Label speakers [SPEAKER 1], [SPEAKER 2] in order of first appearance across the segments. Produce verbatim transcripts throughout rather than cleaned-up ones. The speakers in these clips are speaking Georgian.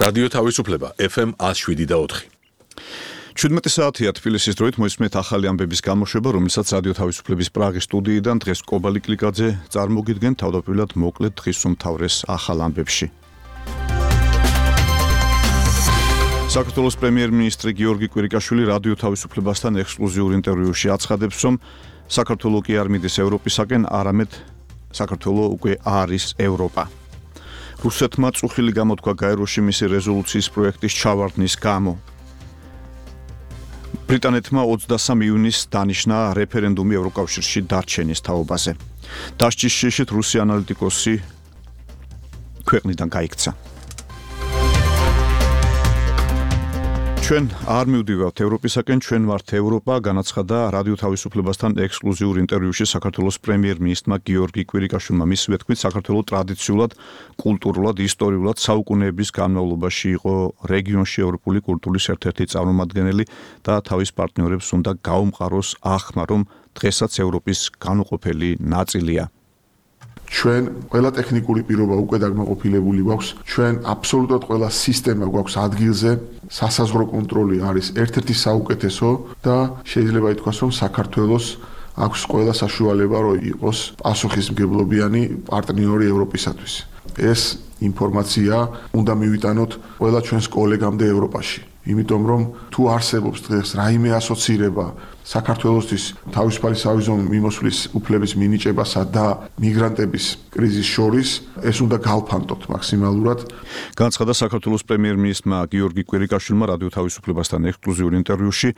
[SPEAKER 1] რადიო თავისუფლება ეფ ემ one oh seven და four.
[SPEAKER 2] შვიდმეტი საათია თბილისის დროით მოისმენთ ახალი ამბების გამოშვება, რომელსაც რადიო თავისუფლების პრაღის სტუდიიდან დღეს კობალი კლიკაძე წარმოგიდგენ თავდაპირველად მოკლედ დღის უმთავრეს ახალ ამბებში. საქართველოს პრემიერ-მინისტრი გიორგი კვირიკაშვილი რადიო თავისუფლებასთან ექსკლუზიურ ინტერვიუში აცხადებს, რომ საქართველო კი არ მიდის ევროპისაკენ, არამედ საქართველო უკვე არის ევროპა. რუსეთმა წუხილი გამოთქვა გაეროში მისი რეზოლუციის პროექტის ჩავარდნის გამო. ბრიტანეთმა ოცდასამ ივნისს დანიშნა რეფერენდუმი ევროკავშირში დარჩენის თაობაზე. დასჯის შიშით რუსი ანალიტიკოსი ქვეყნიდან გაიქცა. ჩვენ არ მივდივართ ევროპისაკენ, ჩვენ ვართ ევროპა, განაცხადა რადიო თავისუფლებასთან ექსკლუზიურ ინტერვიუში საქართველოს პრემიერ-მინისტრმა გიორგი კვირიკაშვილმა. მისივე თქმით, საქართველო ტრადიციულად, კულტურულად, ისტორიულად საუკუნეების განმავლობაში იყო რეგიონში ევროპული კულტურის ერთ-ერთი წარმომადგენელი და თავის პარტნიორებს უნდა გაუმყაროს ახმა, რომ დღესაც ევროპის განუყოფელი ნაწილია.
[SPEAKER 3] ჩვენ ყველა ტექნიკური პირობა უკვე დაკმაყოფილებული გვაქვს, ჩვენ აბსოლუტურად ყველა სისტემა გვაქვს ადგილზე, სასაზღვრო კონტროლი არის ერთ-ერთი საუკეთესო და შეიძლება ითქვას, რომ საქართველოს აქვს ყველა საშუალება, რომ იყოს პასუხისმგებლობიანი პარტნიორი ევროპისათვის. ეს ინფორმაცია უნდა მივიტანოთ ყველა ჩვენს კოლეგამდე ევროპაში. იმიტომ რომ თუ არსებობს დღეს რაიმე ასოცირება საქართველოსთვის თავისუფალი სავიზო მიმოსვლის უფლების მინიჭებასა და მიგრანტების კრიზისის შორის, ეს უნდა გავფანტოთ მაქსიმალურად.
[SPEAKER 2] განაცხადა საქართველოს პრემიერ-მინისტრმა გიორგი კვირიკაშვილმა რადიო თავისუფლებასთან ექსკლუზიურ ინტერვიუში.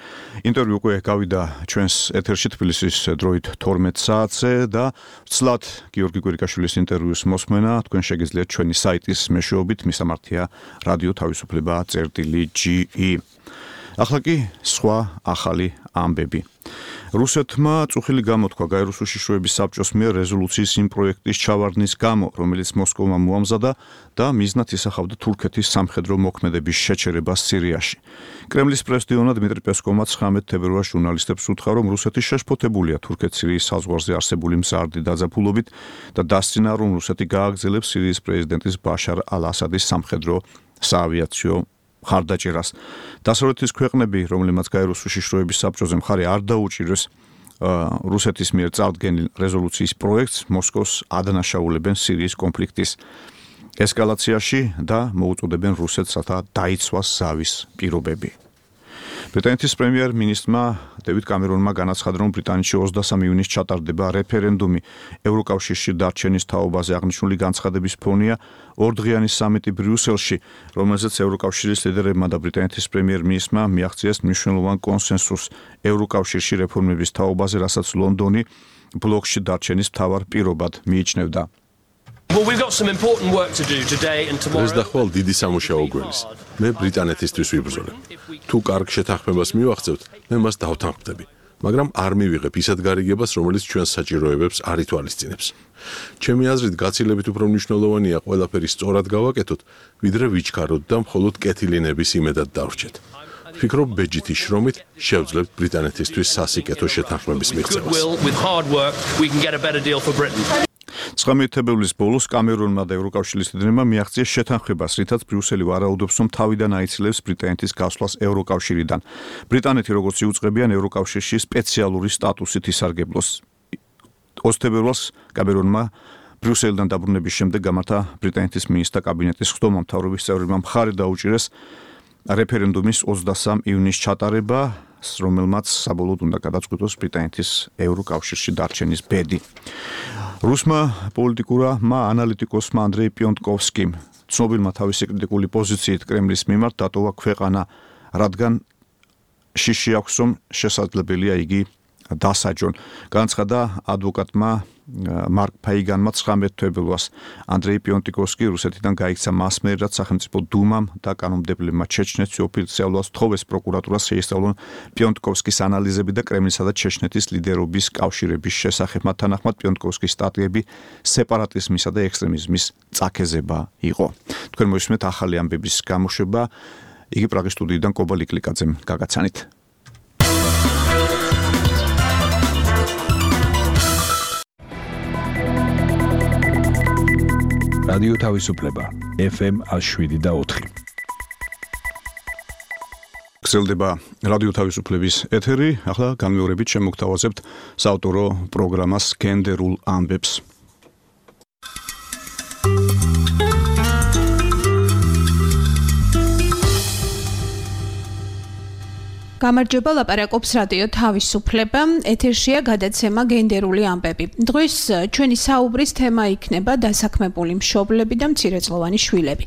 [SPEAKER 2] ინტერვიუ უკვე გავიდა ჩვენს ეთერში თბილისის დროით თორმეტ საათზე და ვცლად გიორგი კვირიკაშვილის ინტერვიუს მოსმენა თქვენ შეგიძლიათ ჩვენი საიტის მეშვეობით, მისამართია რადიო თავისუფლება წერტილი ჯი ი. ახლა კი სხვა ახალი ამბები. რუსეთმა წუხილი გამოთქვა გაეროს უშიშროების საბჭოს მიერ რეზოლუციის იმ პროექტის ჩავარდნის გამო, რომელიც მოსკოვმა მოამზადა და მიზნად ისახავდა თურქეთის სამხედრო მოქმედების შეჩერებას სირიაში. კრემლის პრეს-დიონა დმიტრი პესკოვმა ცხრამეტ თებერვალს ჟურნალისტებს უთხრა, რომ რუსეთი შეშფოთებულია თურქეთ-სირიის საზღვარზე არსებული მზარდი დაძაბულობით და დასცინა, რომ რუსეთი გააგრძელებს სირიის პრეზიდენტის ბაშარ ალ-ასადის სამხედრო საავიაციო ხარდაჭერას. დასავლეთის ქვეყნები, რომლებმაც გაეროს უშიშროების საბჭოზე მხარი არ დაუჭირეს რუსეთის მიერ წარდგენილ რეზოლუციის პროექტს, მოსკოვს ადანაშაულებენ სირიის კონფლიქტის ესკალაციაში და მოუწოდებენ რუსეთს, რათა დაიცვას ზავის პირობები. ბრიტანეთის პრემიერ-მინისტრმა დევიდ კამერონმა განაცხადა, რომ ბრიტანეთში ოცდასამ ივნისს ჩატარდება რეფერენდუმი ევროკავშირში დარჩენის თაობაზე. აღნიშნული განცხადების ფონია ორდღიანი სამიტი ბრიუსელში, რომელზეც ევროკავშირის ლიდერებმა და ბრიტანეთის პრემიერ-მინისტრმა მიაღწიეს მნიშვნელოვან კონსენსუსს ევროკავშირში რეფორმების თაობაზე, რასაც ლონდონი ბლოკში დარჩენის მთავარ პირობად მიიჩნევდა.
[SPEAKER 4] Well, we've got some important work to do today and tomorrow.
[SPEAKER 1] ეს დახვალ დიდი სამუშაო გველის. მე ბრიტანეთისთვის ვიბრძოლებ. თუ კარგ შეთანხმებას მივახცევთ, მე მას დავთანხმდები, მაგრამ არ მივიღებ ისეთ გარიგებას, რომელიც ჩვენს საჭიროებებს არ ითვალისწინებს. ჩემი აზრით, გაცილებით უფრო მნიშვნელოვანია ყველაფერი სწორად გავაკეთოთ, ვიდრე ვიჩქაროთ და მხოლოდ კეთილინების იმედად დავრჩეთ. ვფიქრობ, ბეჯითი შრომით შევძლებთ ბრიტანეთისთვის სასიკეთო შეთანხმების მიღწევას.
[SPEAKER 2] ცხრამეტი თებერვლის ბოლოს კამერონმა და ევროკავშირის ლიდერებმა მიაღწიეს შეთანხმებას, რითაც ბრიუსელი ვარაუდობს, რომ თავიდან აიცილებს ბრიტანეთის გასვლას ევროკავშირიდან. ბრიტანეთი, როგორც იუწყებიან, ევროკავშირში სპეციალური სტატუსით ისარგებლოს. ოცი თებერვალს კამერონმა ბრიუსელიდან დაბრუნების შემდეგ გამართა ბრიტანეთის მინისტრთა კაბინეტის ხდომა, მთავრობის წევრებმა მხარი დაუჭირეს რეფერენდუმის ოცდასამ ივნისს ჩატარება, რომელმაც საბოლოოდ უნდა გადაწყვიტოს ბრიტანეთის ევროკავშირში დარჩენის ბედი. რუსმა პოლიტიკურმა ანალიტიკოსმა ანდრეი პიონტკოვსკიმ ცნობილმა თავისი კრიტიკული პოზიციით კრემლის მიმართ დატოვა ქვეყანა, რადგან შიში აქვს, რომ შესაძლებელია იგი დასაჯონ. განაცხადა ადვოკატმა მარკ ფაიგანმა ცხრამეტ თებერვალს. ანდრეი პიონტკოვსკი რუსეთიდან გაიქცა მასმერად სახელმწიფო დუმამ და კანონმდებლებმა ჩეჩნეთში ოფიციალურად თხოვეს პროკურატურას შეისწავლონ პიონტკოვსკის ანალიზები და კრემლისა და ჩეჩნეთის ლიდერობის კავშირების შესახებ. მათ თანახმად პიონტკოვსკის სტატიები სეპარატიზმისა და ექსტრემიზმის წაქეზება იყო. თქვენ მოისმენთ ახალი ამბების გამოშვება, იგი პრაღის სტუდიიდან კობალი კლიკაძემ გაგაცანით.
[SPEAKER 5] რადიო თავისუფლება ეფ ემ one oh seven და four.
[SPEAKER 2] გრძელდება რადიო თავისუფლების ეთერი. ახლა განმეორებით შემოგთავაზებთ საავტორო პროგრამას გენდერულ ამბებს.
[SPEAKER 5] გამარჯობა, ლაპარაკობს რადიო თავისუფლება. ეთერშია გადაცემა გენდერული ამბები. დღეს ჩვენი საუბრის თემა იქნება დასაქმებული მშობლები და მცირეწლოვანი შვილები.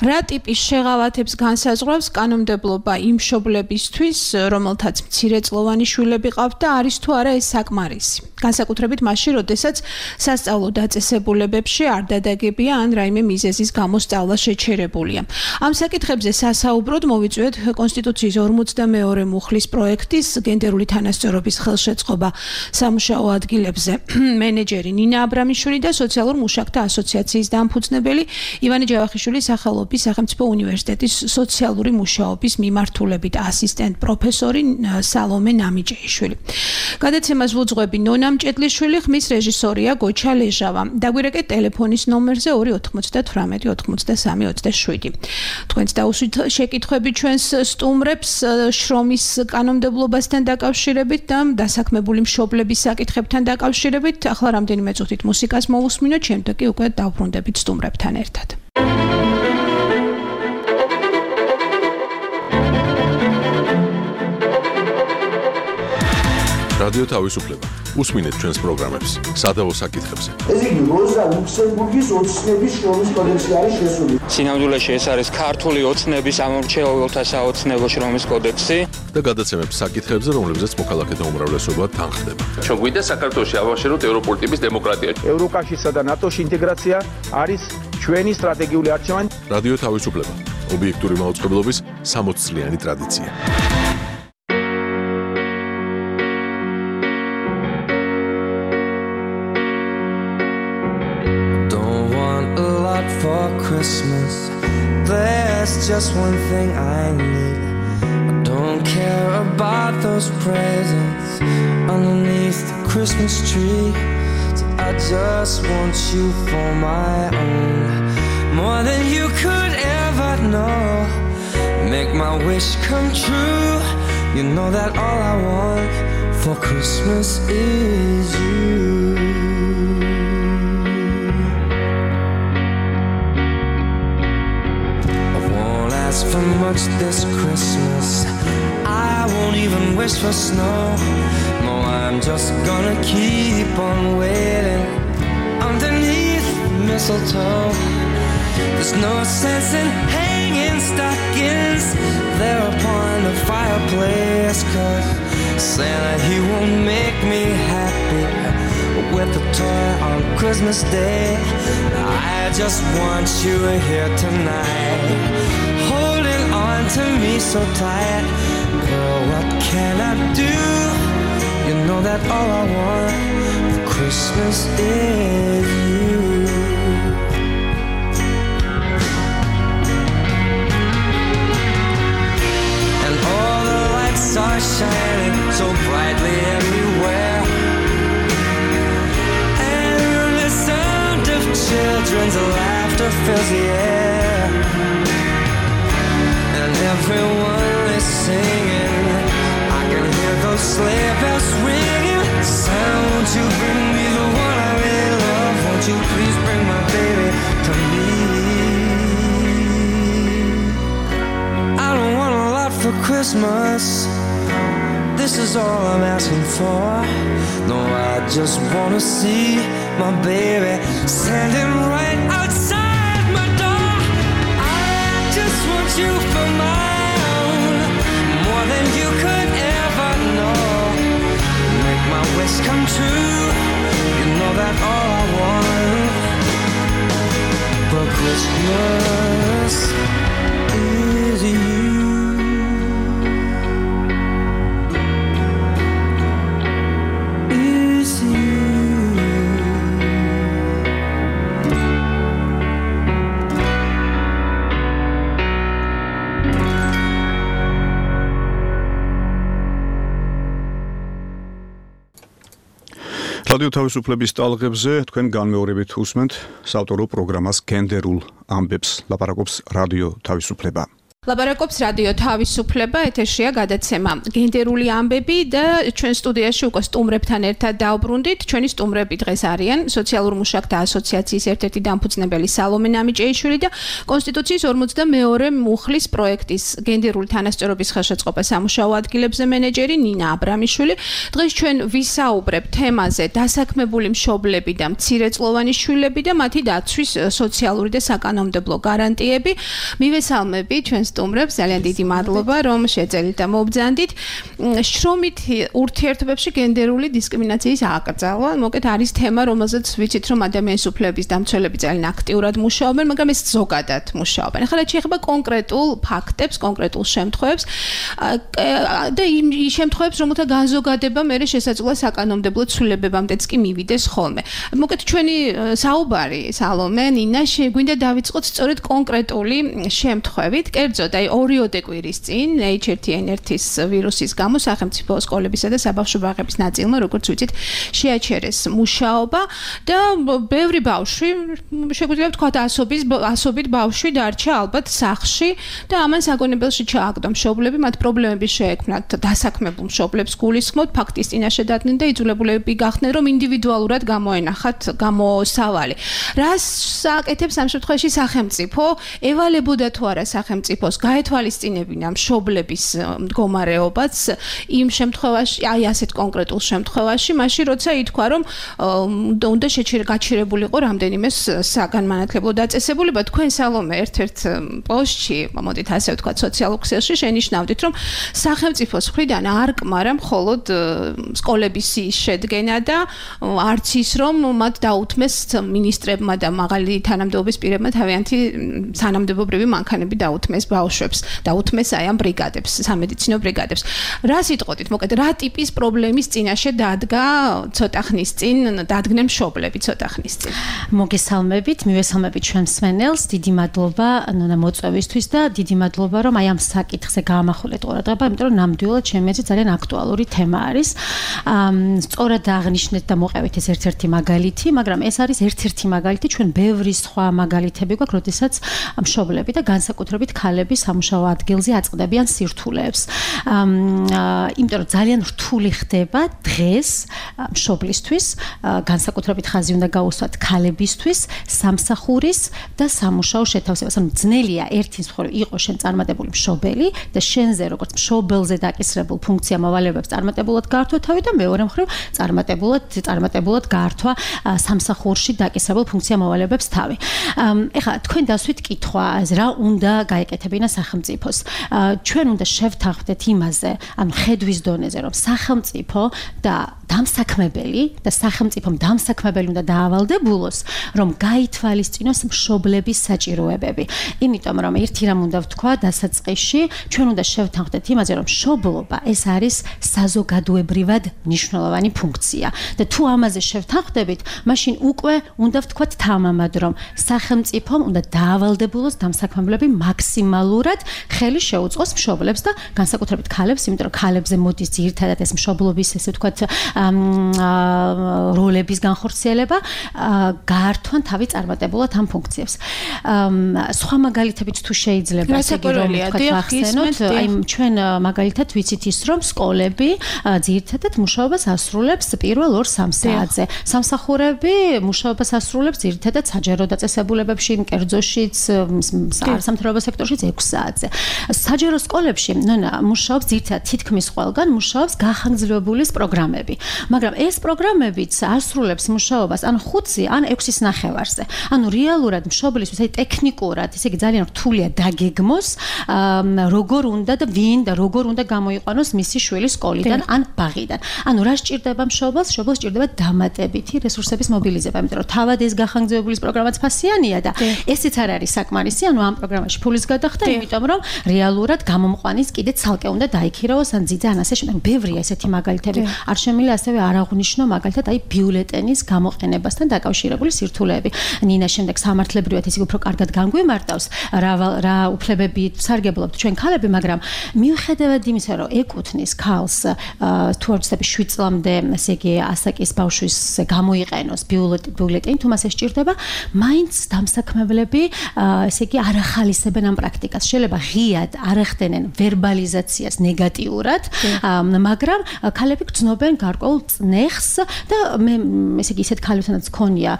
[SPEAKER 5] რა ტიპის შეღავათებს განსაზღვრავს კანონმდებლობა იმ მშობლებისთვის, რომელთაც მცირეწლოვანი შვილები ყავთ და არის თუ არა ეს საკმარისი. განსაკუთრებით მაშინ, როდესაც სასწავლო დაწესებულებებში არ დადაგებია ან რაიმე მიზეზის გამო სწავლა შეჩერებულია. ამ საკითხებზე სასაუბროდ მოვიწვიეთ კონსტიტუციის ორმოცდამეორე მუხლის პროექტის გენდერული თანასწორობის ხელშეწყობა სამუშაო ადგილებზე მენეჯერი ნინა აბრამიშვილი და სოციალურ მუშაკთა ასოციაციის დამფუძნებელი ივანე ჯავახიშვილის სახელობის სახელმწიფო უნივერსიტეტის სოციალური მუშაობის მიმართულებით ასისტენტ პროფესორი სალომე ნამიჯეიშვილი. გადაცემას ვუძღვები ნონა მჭედლიშვილი, ხმის რეჟისორია გოჩა ლეჟავა. დაგვირეკეთ ტელეფონის ნომერზე ორი ოთხმოცდათვრამეტი ოთხმოცდასამი ოცდაშვიდი. თქვენც დაუსვით შეკითხვები ჩვენს სტუმრებს შრომის კანონმდებლობასთან დაკავშირებით და დასაქმებული მშობლების საკითხებთან დაკავშირებით. ახლა რამდენიმე წუთით მუსიკას მოვუსმინოთ, შემდეგ კი უკვე დავბრუნდებით სტუმრებთან ერთად.
[SPEAKER 1] რადიო თავისუფლება. უსმინეთ ჩვენს პროგრამებს სადავო საკითხებზე.
[SPEAKER 6] ეს იგი როზა ლუქსემბურგის ოცნების შრომის კოდექსი არის შესული.
[SPEAKER 7] სინამდვილეში ეს არის ქართული ოცნების ამორჩეულთა საოცნებო შრომის კოდექსი
[SPEAKER 1] და გადაცემებს საკითხებზე, რომლებზეც მოქალაქეთა უმრავლესობა თანხდება.
[SPEAKER 8] ჩვენ გვინდა საქართველოში ავაშეროთ ევროპული ტიპის დემოკრატია.
[SPEAKER 9] ევროკავშირსა და ნატოს ინტეგრაცია არის ჩვენი სტრატეგიული არჩევანი.
[SPEAKER 1] რადიო თავისუფლება. ობიექტური მაუწყებლობის სამოც წლიანი ტრადიცია.
[SPEAKER 10] For Christmas, there's just one thing I need. I don't care about those presents underneath the Christmas tree. So I just want you for my own, more than you could ever know. Make my wish come true. You know that all I want for Christmas is you. For much this Christmas, I won't even wish for snow. No, I'm just gonna keep on waiting underneath the mistletoe. There's no sense in hanging stockings there upon the fireplace, 'cause Santa, he won't make me happy with a toy on Christmas Day. I just want you here tonight, holding on to me so tight. Girl, what can I do? You know that all I want for Christmas is you. And all the lights are shining so brightly everywhere, and the sound of children's laughter fills the air. Everyone is singing, I can hear those sleigh bells ringing. Santa, won't you bring me the one I really love? Won't you please bring my baby to me? I don't want a lot for Christmas, this is all I'm asking for. No, I just wanna see my baby standing right outside my door. I just want you for my own, more than you could ever know. Make my wish come true. You know that all I want for Christmas is you. Is you.
[SPEAKER 2] რადიო თავისუფლების ტალღებზე თქვენ განმეორებით უსმენთ საავტორო პროგრამას გენდერულ ამბებს. ლაპარაკობს რადიო თავისუფლება.
[SPEAKER 5] ლაპარაკობს რადიო თავისუფლება, ეთერშია გადაცემა გენდერული ამბები და ჩვენ სტუდიაში უკვე სტუმრებთან ერთად დავბრუნდით. ჩვენი სტუმრები დღეს არიან სოციალურ მუშაკთა ასოციაციის ერთ-ერთი დამფუძნებელი სალომე ნამიჭეიშვილი და კონსტიტუციის ორმოცდამეორე მუხლის პროექტის გენდერული თანასწორობის ხელშეწყობა სამუშაო ადგილებზე მენეჯერი ნინა აბრამიშვილი. დღეს ჩვენ ვისაუბრებთ თემაზე დასაქმებული მშობლები და მცირეწლოვანი შვილები და მათი დაცვის სოციალური და საკანონმდებლო გარანტიები. მივესალმები ჩვენ სტუმრებს, ძალიან დიდი მადლობა რომ შეძელით და მობრძანდით. შრომით ურთიერთობებში გენდერული დისკრიმინაციის აკრძალვა, მოკეთ არის თემა, რომელზეც ვიცით რომ ადამიანის უფლებების დამცველები ძალიან აქტიურად მუშაობენ, მაგრამ ეს ზოგადად მუშაობენ. ახლა რაც შეეხება კონკრეტულ ფაქტებს, კონკრეტულ შემთხვევებს და იმ შემთხვევებს, რომელთა განზოგადება მერე შესაძლოა საკანონმდებლო ცვლილებებამდეც კი მივიდეს ხოლმე. მოკეთ ჩვენი საუბარი სალომე ნინა შეგვინდა დავიწყოთ სწორედ კონკრეტული შემთხვევით. კერძოდ, აი ორიოდე კვირის წინ ეიჩ ერთ ენ ერთის ვირუსის გამო სახელმწიფო სკოლებისა და საბავშვო ბაღების ნაწილმა, როგორც ვიცით, შეაჩერეს მუშაობა და ბევრი ბავშვი, შეგვიძლია ვთქვათ, ასობის ასობით ბავშვი დარჩა ალბათ სახლში და ამან საგონებელში ჩააგდო მშობლები, მათ პრობლემები შეექმნათ დასაქმებულ მშობლებს გულისხმობთ, ფაქტის წინაშე დადგნენ და იძულებულები გახდნენ, რომ ინდივიდუალურად გამოენახათ გამოსავალი. რას აკეთებს ამ შემთხვევაში სახელმწიფო? ევალებოდა თუ არა სახელმწიფოს გაეთვალისწინებინა მშობლების მდგომარეობაც იმ შემთხვევაში, აი ასეთ კონკრეტულ შემთხვევაში, მაშინ როცა ითქვა, რომ უნდა გაჩერებულიყო რამდენიმე საგანმანათლებლო დაწესებულება. თქვენ სალომე ერთ-ერთ პოსტში, მოდით ასე ვთქვათ, სოციალურ ქსელში შენიშნავდით, რომ სახელმწიფოს მხრიდან არ კმარა მხოლოდ სკოლების შედგენა და არც ის, რომ მათ დაუთმეს მინისტრებმა და მაღალი თანამდებობის პირებმა თავიანთი თანამდებობრივი მანქანები დაუთმეს ბავშვებს, დაუთმეს აი ამ ბრიგადებს, სამედიცინო ბრიგადებს. რა სიტყვით, მოკეთ, რა ტიპის პრობლემის წინაშე დადგა ცოტა ხნის წინ, დადგნენ მშობლები ცოტა ხნის წინ?
[SPEAKER 11] მოგესალმებით, მივესალმებით ჩვენ მსმენელს, დიდი მადლობა ნონა მოწვევისთვის და დიდი მადლობა რომ აი ამ საკითხზე გაამახვილეთ ყურადღება, იმიტომ რომ ნამდვილად ჩემი აზრით ძალიან აქტუალური თემა არის. სწორად აღნიშნეთ და მოყევით ეს ერთ-ერთი მაგალითი, მაგრამ ეს არის ერთ-ერთი მაგალითი, ჩვენ ბევრი სხვა მაგალითები გვაქვს, როდესაც მშობლები და განსაკუთრებით ქალები სამუშაო ადგილზე აწყდებიან სირთულეებს. იმიტომ რომ ძალიან რთული ხდება დღეს მშობლისთვის, განსაკუთრებით ხაზი უნდა გაუსვათ ქალებისთვის, სამსახურის და სამუშაო შეთავსებას. ანუ ძნელია ერთის მხრივ იყო შენ წარმატებული მშობელი და შენზე როგორც მშობელზე დაკისრებულ ფუნქცია მოვალეობებს წარმატებულად გაართვა თავი და მეორე მხრივ წარმატებულად წარმატებულად გაართვა სამსახურში დაკისრებულ ფუნქცია მოვალეობებს თავი. ეხლა თქვენ დასვით კითხვა, რა უნდა გაეკეთებინა სახელმწიფოს. ჩვენ უნდა შევთანხმდეთ იმაზე, ანუ ხედვის დონეზე, რომ სახელმწიფო და დამსაქმებელი და სახელმწიფომ დამსაქმებელი უნდა დაავალდებულოს, რომ გაითვალისწინოს მშობლების საჭიროებები. იმიტომ რომ ერთი რამ უნდა ვთქვა დასაწყისში, ჩვენ უნდა შევთანხმდეთ იმაზე, რომ მშობლობა ეს არის საზოგადოებრივად მნიშვნელოვანი ფუნქცია. და თუ ამაზე შევთანხმდებით, მაშინ უკვე უნდა ვთქვათ თამამად, რომ სახელმწიფომ უნდა დაავალდებულოს დამსაქმებლები მაქსიმალურად ხელი შეუწყოს მშობლებს და განსაკუთრებით ქალებს, იმიტომ რომ ქალებზე მოდის ძირითადად ეს მშობლობის, ესე ვთქვათ, როლების განხორციელება, გაართვან თავი წარმატებულად ამ ფუნქციებს. სხვა მაგალითებით თუ შეიძლება, ესე იგი რომ ვთქვათ, ვახსენოთ, აი ჩვენ მაგალითად ვიცით ის, რომ სკოლები ძირითადად მუშაობას ასრულებს პირველ ორ სამ საათზე. სამსახურები მუშაობას ასრულებს ძირითადად საჯარო დაწესებულებებში, კერძოშიც, სამთავრობო სექტორშიც ექვს საათზე. საჯარო სკოლებში, ნონა, მუშაობს ძირითადად თითქმის ყველგან მუშაობს გახანგრძლივებულის პროგრამები. მაგრამ ეს პროგრამებიც ასრულებს მუშაობას ან ხუთი, ან ექვსის ნახევარზე. ანუ რეალურად მშობლისთვის, აი ტექნიკურად, ესე იგი ძალიან რთულია დაგეგმოს, როგორ უნდა და ვინ და როგორ უნდა გამოიყვანოს მისი შვილი სკოლიდან ან ბაღიდან. ანუ რა სჭირდება მშობელს? მშობელს სჭირდება დამატებითი რესურსების მობილიზება, იმიტომ რომ თავად ეს გახანგრძლივებულის პროგრამაც ფასიანია და ესეც არ არის საკმარისი, ანუ ამ პროგრამაში ფულის გადახდა, იმიტომ რომ რეალურად გამომყვანის კიდე ცალკე უნდა დაიქირავოს ან ძიძა ან ასე შემდეგ. ბევრია ესეთი მაგალითები. არ შემიძლია ასევე არ აღვნიშნო მაგალითად აი ბიულეტენის გამოყენებასთან დაკავშირებული სირთულეები. ნინა შემდეგ სამართლებრივად ისე უფრო კარგად განგვიმარტავს, რა რა უფლებები სარგებლობთ ჩვენ ქალები, მაგრამ მიუხედავად იმისა, რომ ეკუთვნის ქალს თუ არ ვცდები შვიდ წლამდე, ესე იგი ასაკის ბავშვის გამოიყენოს ბიულეტენი, თუ მას ეს სჭირდება, მაინც დამსაქმებლები, ესე იგი არ ახალისებენ ამ პრაქტიკას. პრობლემატიკას შეიძლება ღიად არ ახდენენ ვერბალიზაციას ნეგატიურად, მაგრამ ქალები გრძნობენ გარკვეულ წნეხს და მე ესე იგი ისეთ ქალებთანაც ქონია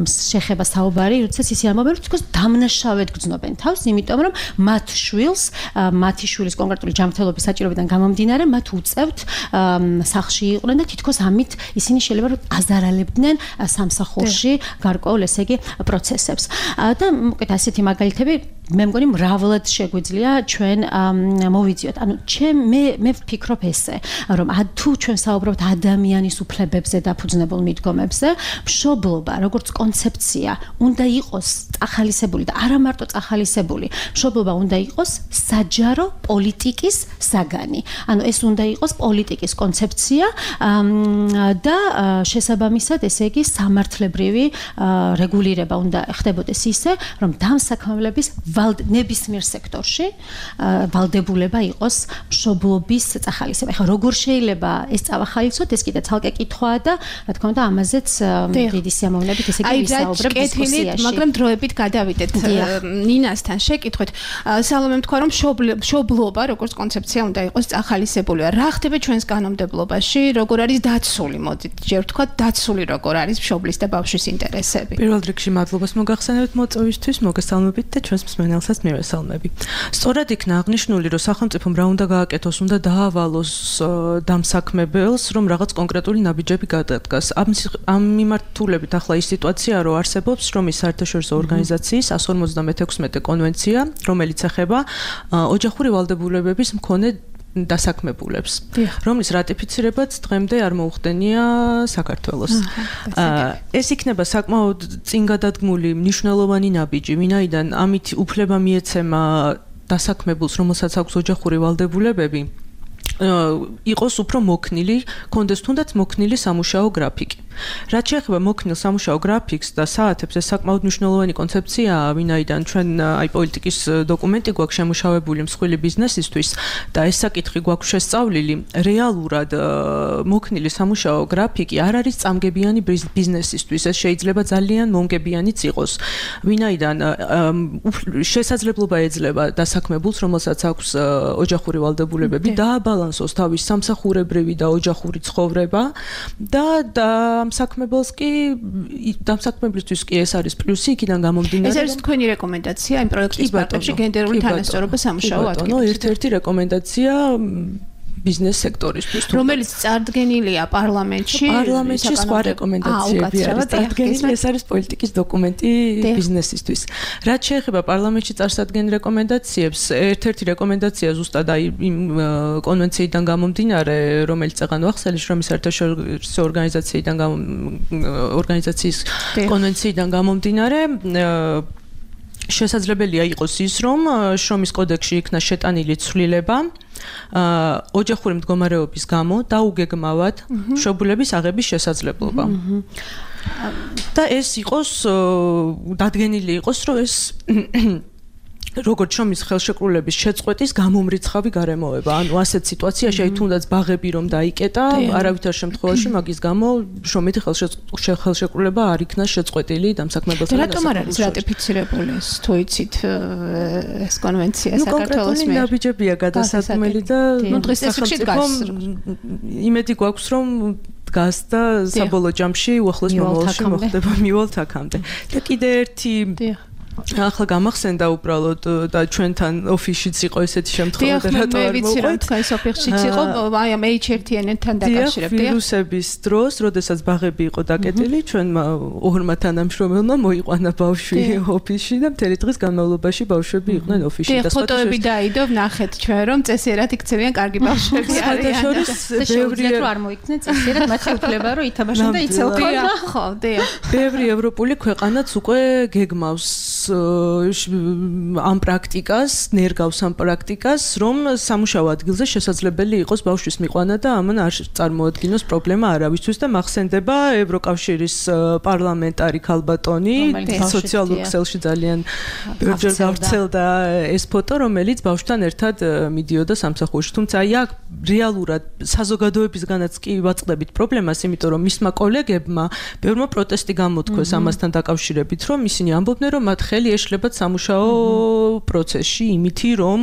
[SPEAKER 11] შეხება საუბარი, როდესაც ისე ამბობენ, რომ თქოს დამნაშავედ გრძნობენ თავს, იმიტომ რომ მათ შვილს, მათი შვილის კონკრეტული ჯანმრთელობის საჭიროებიდან გამომდინარე, მათ უწევთ სახლში იყვნენ და თითქოს ამით ისინი შეიძლება რომ აზარალებდნენ სამსახურში გარკვეულ ესე იგი პროცესებს. და მოკეთ ასეთი მაგალითები მე მგონი მრავლად შეგვიძლია ჩვენ მოვიძიოთ. ანუ ჩემ მე მე ვფიქრობ ესე, რომ თუ ჩვენ საუბრობთ ადამიანის უფლებებზე დაფუძნებულ მიდგომებზე, მშობლობა როგორც კონცეფცია უნდა იყოს წახალისებული და არა მარტო წახალისებული. მშობლობა უნდა იყოს საჯარო პოლიტიკის საგანი. ანუ ეს უნდა იყოს პოლიტიკის კონცეფცია და შესაბამისად ესე იგი სამართლებრივი რეგულირება უნდა ხდებოდეს ისე, რომ დამსაქმებლების ნებისმიერ სექტორში ვალდებულება იყოს მშობლობის წახალისება. ეხლა როგორ შეიძლება ეს წავახალისოთ, ეს კიდე ცალკე კითხვაა და რა თქმა უნდა ამაზეც დიდი სიამოვნებით ესე იგი ვისაუბრებ დისკუსიაში.
[SPEAKER 5] მაგრამ დროებით გადავიდეთ ნინასთან შეკითხვით. სალომე თქვა რომ მშობლობა როგორც კონცეფცია უნდა იყოს წახალისებული. რა ხდება ჩვენს კანონმდებლობაში, როგორ არის დაცული, მოდით ჯერ ვთქვათ დაცული როგორ არის მშობლის და ბავშვის ინტერესები.
[SPEAKER 12] პირველ რიგში მადლობას მოგახსენებთ მოწვევისთვის, მოგესალმებით და ჩვენს მსმენელსაც მივესალმები. სწორად იქნა აღნიშნული, რომ სახელმწიფომ რა უნდა გააკეთოს, უნდა დაავალოს დამსაქმებელს, რომ რაღაც კონკრეტული ნაბიჯები გადადგას. ამ ამ მიმართულებით ახლა ის სიტუაციაა, რომ არსებობს შრომის საერთაშორისო ორგანიზაციის εκατს ორმოცდამეექვსმეტე კონვენცია, რომელიც ეხება ოჯახური ვალდებულებების მქონე დასაქმებულებს, რომლის რატიფიცირებაც დღემდე არ მოუხდენია საქართველოს. ეს იქნება საკმაოდ წინგადადგმული მნიშვნელოვანი ნაბიჯი, ვინაიდან ამით უფლება მიეცემა დასაქმებულს, რომელსაც აქვს ოჯახური ვალდებულებები, იყოს უფრო მოქნილი, კონდეს თუნდაც მოქნილი სამუშაო გრაფიკი. რაც შეეხება მოქნილ სამუშაო გრაფიკს და საათებს, ეს საკმაოდ მნიშვნელოვანი კონცეფციაა, ვინაიდან ჩვენ აი პოლიტიკის დოკუმენტი გვაქვს შემუშავებული მსხვილი ბიზნესისთვის და ეს საკითხი გვაქვს შესწავლილი. რეალურად მოქნილი სამუშაო გრაფიკი არ არის წამგებიანი ბიზნესისთვის, ეს შეიძლება ძალიან მომგებიანიც იყოს, ვინაიდან შესაძლებლობა ეძლევა დასაქმებულს, რომელსაც აქვს ოჯახური ვალდებულებები, დააბალანსოს თავის სამსახურებრივი და ოჯახური ცხოვრება და და დამსაქმებელს კი დამსაქმებლისთვის კი ეს არის პლუსი, იქიდან გამომდინარე.
[SPEAKER 5] ეს არის თქვენი რეკომენდაცია იმ პროექტის პარტებში გენდერული თანასწორობა სამუშაო ადგილებში.
[SPEAKER 12] ერთ-ერთი რეკომენდაცია ბიზნეს სექტორისთვის,
[SPEAKER 5] რომელიც წარდგენილია პარლამენტში.
[SPEAKER 12] პარლამენტში სხვა რეკომენდაციები არის წარდგენილი, ეს არის პოლიტიკის დოკუმენტი ბიზნესისთვის. რაც შეეხება პარლამენტში წარსადგენ რეკომენდაციებს, ერთ-ერთი რეკომენდაცია ზუსტად აი იმ კონვენციიდან გამომდინარე, რომელიც წეღან ვახსენე შრომის საერთაშორისო ორგანიზაციიდან ორგანიზაციის კონვენციიდან გამომდინარე, შესაძლებელია იყოს ის, რომ შრომის კოდექსში იქნა შეტანილი ცვლილება ოჯახური მდგომარეობის გამო დაუგეგმავად მშობლების აღების შესაძლებლობა. და ეს იყოს დადგენილი იყოს, რომ ეს როგორც შრომის ხელშეკრულების შეწყვეტის გამომრიცხავი გარემოება. ანუ ასეთ სიტუაციაში აი თუნდაც ბაღები რომ დაიკეტა, არავითარ შემთხვევაში მაგის გამო შრომითი ხელშეკრულება არ იქნა შეწყვეტილი დამსაქმებელთან.
[SPEAKER 5] რატომ არ არის რატიფიცირებული ეს თუ იცით ეს კონვენცია საქართველოს
[SPEAKER 12] მიერ? ნუ ნაბიჯებია გადასაწყვეტილი და
[SPEAKER 5] ნუ დღეს სახელმწიფომ
[SPEAKER 12] იმედი გვაქვს რომ დგას და საბოლოო ჯამში უახლოეს მომავალში მოხდება მივალთ აქამდე. და კიდე ერთი ახლა გამახსენდა უბრალოდ და ჩვენთან ოფისშიც იყო ესეთი შემთხვევა და რატო არ
[SPEAKER 5] მოვყვეთ? მე ვიცი, თქვენ ოფისშიც იყო, აი ამ ეიჩ ერ თი ენ-თან დაკავშირებით.
[SPEAKER 12] ვირუსების დროს, როდესაც ბაღები იყო დაკეტილი, ჩვენმა ორმა თანამშრომელმა მოიყვანა ბავშვი ოფისში და მთელი დღის განმავლობაში ბავშვები იყვნენ ოფისში
[SPEAKER 5] და ფოტოები დაიდო, ვნახეთ ჩვენ რომ წესიერად იქცევიან კარგი ბავშვები არიან.
[SPEAKER 12] და
[SPEAKER 11] შეუძლიათ რომ არ მოიქნენ წესიერად, მათი უფლება რომ ითამაშონ და იცელქონ.
[SPEAKER 5] ხო, დიახ.
[SPEAKER 12] ბევრი ევროპული ქვეყანაც უკვე გეგმავს ამ პრაქტიკას, ნერგავს ამ პრაქტიკას, რომ სამუშაო ადგილზე შესაძლებელი იყოს ბავშვის მიყვანა და ამან არ წარმოადგინოს პრობლემა არავისთვის და მახსენდება ევროკავშირის პარლამენტარი ქალბატონი, სოციალურ ქსელში ძალიან ბევრჯერ გავრცელდა ეს ფოტო, რომელიც ბავშვთან ერთად მიდიოდა სამსახურში. თუმცა აი აქ რეალურად საზოგადოებისგანაც კი ვაწყდებით პრობლემას, იმიტომ რომ მისმა კოლეგებმა ბევრმა პროტესტი გამოთქვეს ამასთან დაკავშირებით, რომ ისინი ამბობდნენ, რომ მათ ხელი ეშლებათ სამუშაო პროცესში იმითი, რომ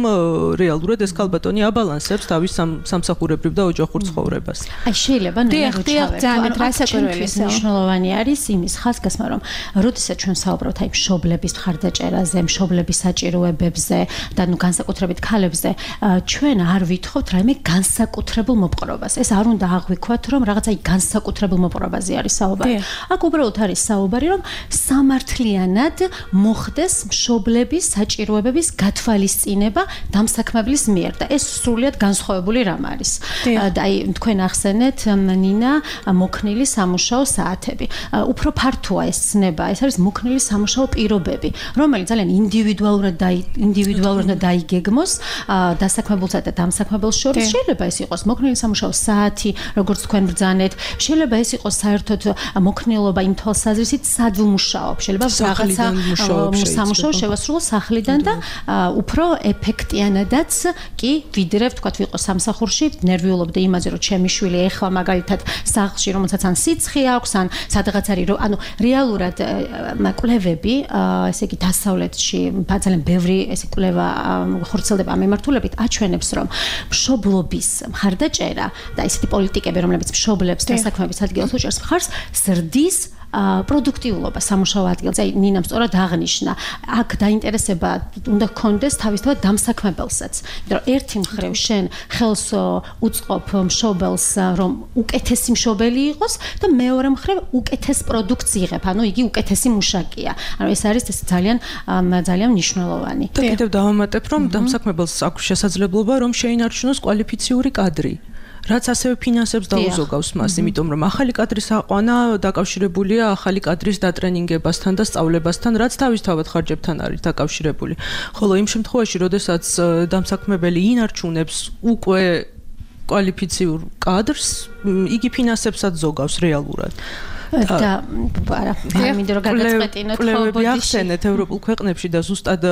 [SPEAKER 12] რეალურად ეს ქალბატონი აბალანსებს თავის სამსახურებრივ და ოჯახურ ცხოვრებას.
[SPEAKER 11] აი შეიძლება ძალიან რასაკვირველია მნიშვნელოვანი არის იმის ხაზგასმა, რომ როდესაც ჩვენ საუბრობთ აი მშობლების მხარდაჭერაზე, მშობლების საჭიროებებზე და ნუ განსაკუთრებით ქალებზე, ჩვენ არ ვითხოვთ რაიმე განსაკუთრებულ მოპყრობას. ეს არ უნდა აღვიქვათ, რომ რაღაცა აი განსაკუთრებულ მოპყრობაზე არის საუბარი. აქ უბრალოდ არის საუბარი, რომ სამართლიანად მოხდეს მშობლების საჭიროებების გათვალისწინება დამსაქმებლის მიერ და ეს სრულიად განსხვავებული რამ არის. და აი თქვენ ახსენეთ ნინა მოქნილი სამუშაო საათები. უფრო ფართოა ეს ცნება, ეს არის მოქნილი სამუშაო პირობები, რომელიც ძალიან ინდივიდუალურად და ინდივიდუალურად დაიგეგმოს დასაქმებულსა და დამსაქმებელს შორის. შეიძლება ეს იყოს მოქნილი სამუშაო საათი, როგორც თქვენ ბრძანეთ, შეიძლება ეს იყოს საერთოდ მოქნილობა იმ თვალსაზრისით სად ვმუშაობ, შეიძლება რაღაცა სამუშაო შევასრულო სახლიდან და უფრო ეფექტიანადაც კი ვიდრე ვთქვათ ვიყო სამსახურში, ნერვიულობდი იმაზე, რომ ჩემი შვილი ეხლა მაგალითად სახლში, რომელსაც ან სიცხე აქვს, ან სადღაც არის, რომ ანუ რეალურად კვლევები, ესე იგი დასავლეთში ძალიან ბევრი ესე კვლევა ხორციელდება ამ მიმართულებით, აჩვენებს, რომ მშობლობის მხარდაჭერა და ესეთი პოლიტიკები, რომლებიც მშობლებს დასაქმების ადგილას უჭერს მხარს, ზრდის პროდუქტიულობა სამუშაო ადგილზე. აი ნინამ სწორად აღნიშნა, აქ დაინტერესება უნდა გქონდეს თავისთავად დამსაქმებელსაც. იმიტომ რომ ერთი მხრივ შენ ხელს უწყობ მშობელს, რომ უკეთესი მშობელი იყოს და მეორე მხრივ უკეთეს პროდუქტს იღებ, ანუ იგი უკეთესი მუშაკია. ანუ ეს არის ეს ძალიან ძალიან მნიშვნელოვანი.
[SPEAKER 12] და კიდევ დავამატებ, რომ დამსაქმებელს აქვს შესაძლებლობა, რომ შეინარჩუნოს კვალიფიციური კადრი. რაც ასევე ფინანსებს დაუზოგავს მას, იმიტომ რომ ახალი კადრის აყვანა დაკავშირებულია ახალი კადრის დატრენინგებასთან და სწავლებასთან, რაც თავისთავად ხარჯებთან არის დაკავშირებული. ხოლო იმ შემთხვევაში, როდესაც დამსაქმებელი ინარჩუნებს უკვე კვალიფიციურ კადრს, იგი ფინანსებსაც ზოგავს რეალურად.
[SPEAKER 11] და არა, მინდა რომ გადაწყვეტინოთ
[SPEAKER 12] კვლევები ახსენეთ ევროპულ ქვეყნებში და ზუსტად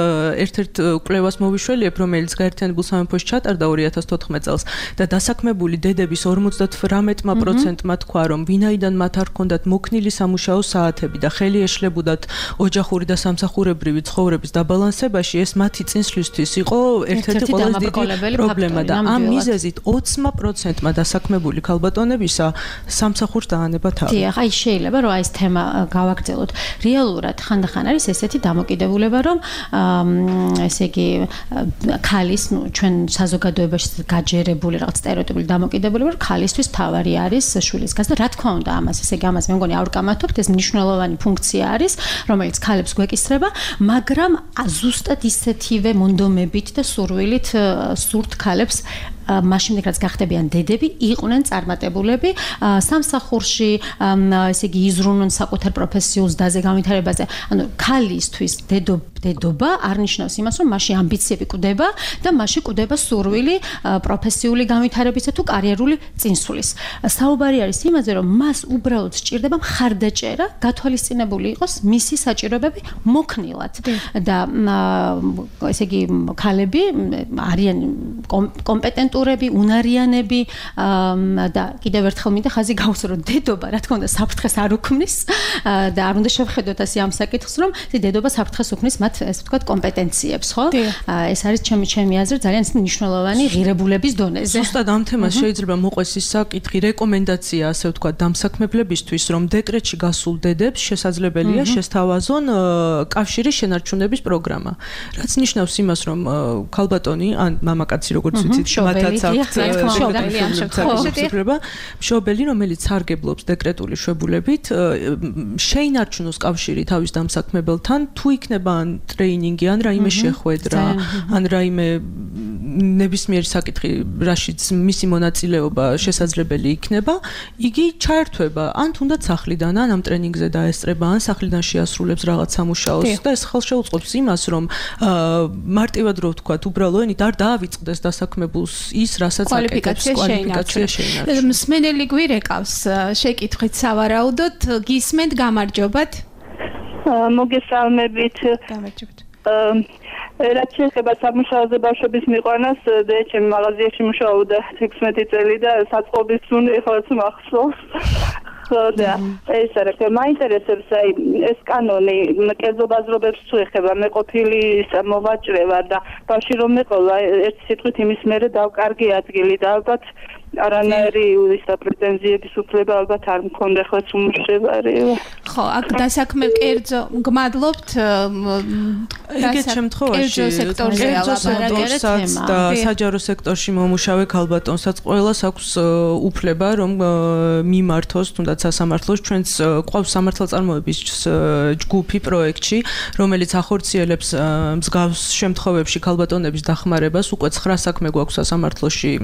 [SPEAKER 12] ერთ-ერთ კვლევას მოვიშველიებ, რომელიც გაერთიანებულ სამეფოში ჩატარდა ორი ათას თოთხმეტ წელს და დასაქმებული დედების ორმოცდათვრამეტ პროცენტმა თქვა, რომ ვინაიდან მათ არ ჰქონდათ მოქნილი სამუშაო საათები და ხელი ეშლებოდათ ოჯახური და სამსახურებრივი ცხოვრების დაბალანსებაში, ეს მათი წინსვლისთვის იყო ერთ-ერთი ყველაზე დიდი პრობლემა და ამ მიზეზით ოცი პროცენტმა დასაქმებული ქალბატონებისა სამსახურს დაანება თავი.
[SPEAKER 11] შეიძლება რომ აი ეს თემა გავაგრძელოთ. რეალურად ხანდახან არის ესეთი დამოკიდებულება, რომ ესე იგი ქალის, ნუ ჩვენ საზოგადოებაში გაჯერებული რაღაც სტერეოტიპული დამოკიდებულება, რომ ქალისთვის თავარი არის შვილის გაზრდა. რა თქმა უნდა, ამას ესე იგი ამას მე მგონი არ ვკამათობთ, ეს მნიშვნელოვანი ფუნქცია არის, რომელიც ქალებს გვეკისრება, მაგრამ ზუსტად ისეთივე მონდომებით და სურვილით სურთ ქალებს მაშინ რაც გახდებიან დედები, იყვნენ წარმატებულები სამსახურში, ესე იგი იზრუნონ საკუთარ პროფესიულ დაზე განვითარებაზე. ანუ ქალისთვის დედობა არ ნიშნავს იმას, რომ მასში ამბიციები კვდება და მასში კვდება სურვილი პროფესიული განვითარებისა თუ კარიერული წინსვლის. საუბარი არის იმაზე, რომ მას უბრალოდ სჭირდება მხარდაჭერა, გათვალისწინებული იყოს მისი საჭიროებები მოქნილად. და ესე იგი ქალები არიან კომპეტენტურები, უნარიანები და კიდევ ერთხელ მინდა ხაზი გავუსვა, რომ დედობა, რა თქმა უნდა, საფრთხეს არ უქმნის და არ უნდა შევხედოთ ასე ამ საკითხს, რომ დედობა საფრთხეს უქმნის მათ, ესე ვთქვათ, კომპეტენციებს, ხო? ეს არის ჩემი ჩემი აზრით ძალიან მნიშვნელოვანი ღირებულების დონეზე.
[SPEAKER 12] ზუსტად ამ თემას შეიძლება მოყვეს ის საკითხი, რეკომენდაცია, ასე ვთქვათ, დამსაქმებლებისთვის, რომ დეკრეტში გასულ დედებს შესაძლებელია შესთავაზონ კავშირის შენარჩუნების პროგრამა. რაც ნიშნავს იმას, რომ ქალბატონი ან მამაკაცი, როგორც ვიცით, მათაც აქვთ მშობელი, რომელიც სარგებლობს დეკრეტული შვებულებით, შეინარჩუნოს კავშირი თავის დამსაქმებელთან, თუ იქნება ან ტრეინინგი, ან რაიმე შეხვედრა, ან რაიმე ნებისმიერი საკითხი, რაშიც მისი მონაწილეობა შესაძლებელი იქნება, იგი ჩაერთვება ან თუნდაც სახლიდან, ან ამ ტრენინგზე დაესწრება, ან სახლიდან შეასრულებს რაღაც სამუშაოს და ეს ხელშეუწყობს იმას, რომ მარტივად რო ვთქვათ, უბრალოდ არ დაავიწყდეს დასაქმებულს ის, რასაც აკეთებს კვალიფიკაცია შეინარჩუნოს.
[SPEAKER 5] მსმენელი გვირეკავს შეკითხვით სავარაუდოდ, გისმენთ, გამარჯობათ.
[SPEAKER 13] მოგესალმებით.
[SPEAKER 5] გამარჯობათ.
[SPEAKER 13] რაც შეეხება სამუშაოზე ბავშვების მიყვანას, და ჩემ მაღაზიაში მუშაობდა ექვსმეტი წელი და საწყობის სუნი ეხლაც მახსოვს. და ეს არა, მაინტერესებს აი ეს კანონი კერძო ბაზრობებს თუ ეხება, მე ყოფილი მოვაჭრე ვარ და ბავშვი რომ მეყოლა ერთი სიტყვით იმის მერე დავკარგი ადგილი და ალბათ არანაირი ისა პრეტენზიების უფლება ალბათ არ მქონდა ხო უმუშევარი.
[SPEAKER 5] ხო, აქ დასაქმე კერძო მგმადლობთ
[SPEAKER 12] ეგეთ შემთხვევაში სექტორსაც და საჯარო სექტორში მომუშავე ქალბატონსაც ყველას აქვს უფლება რომ მიმართოს თუნდაც სასამართლოს ჩვენს ყავს სამართალწარმოების ჯგუფი პროექტში რომელიც ახორციელებს მსგავს შემთხვევებში ქალბატონების დახმარებას უკვე ცხრა საქმე გვაქვს სასამართლოში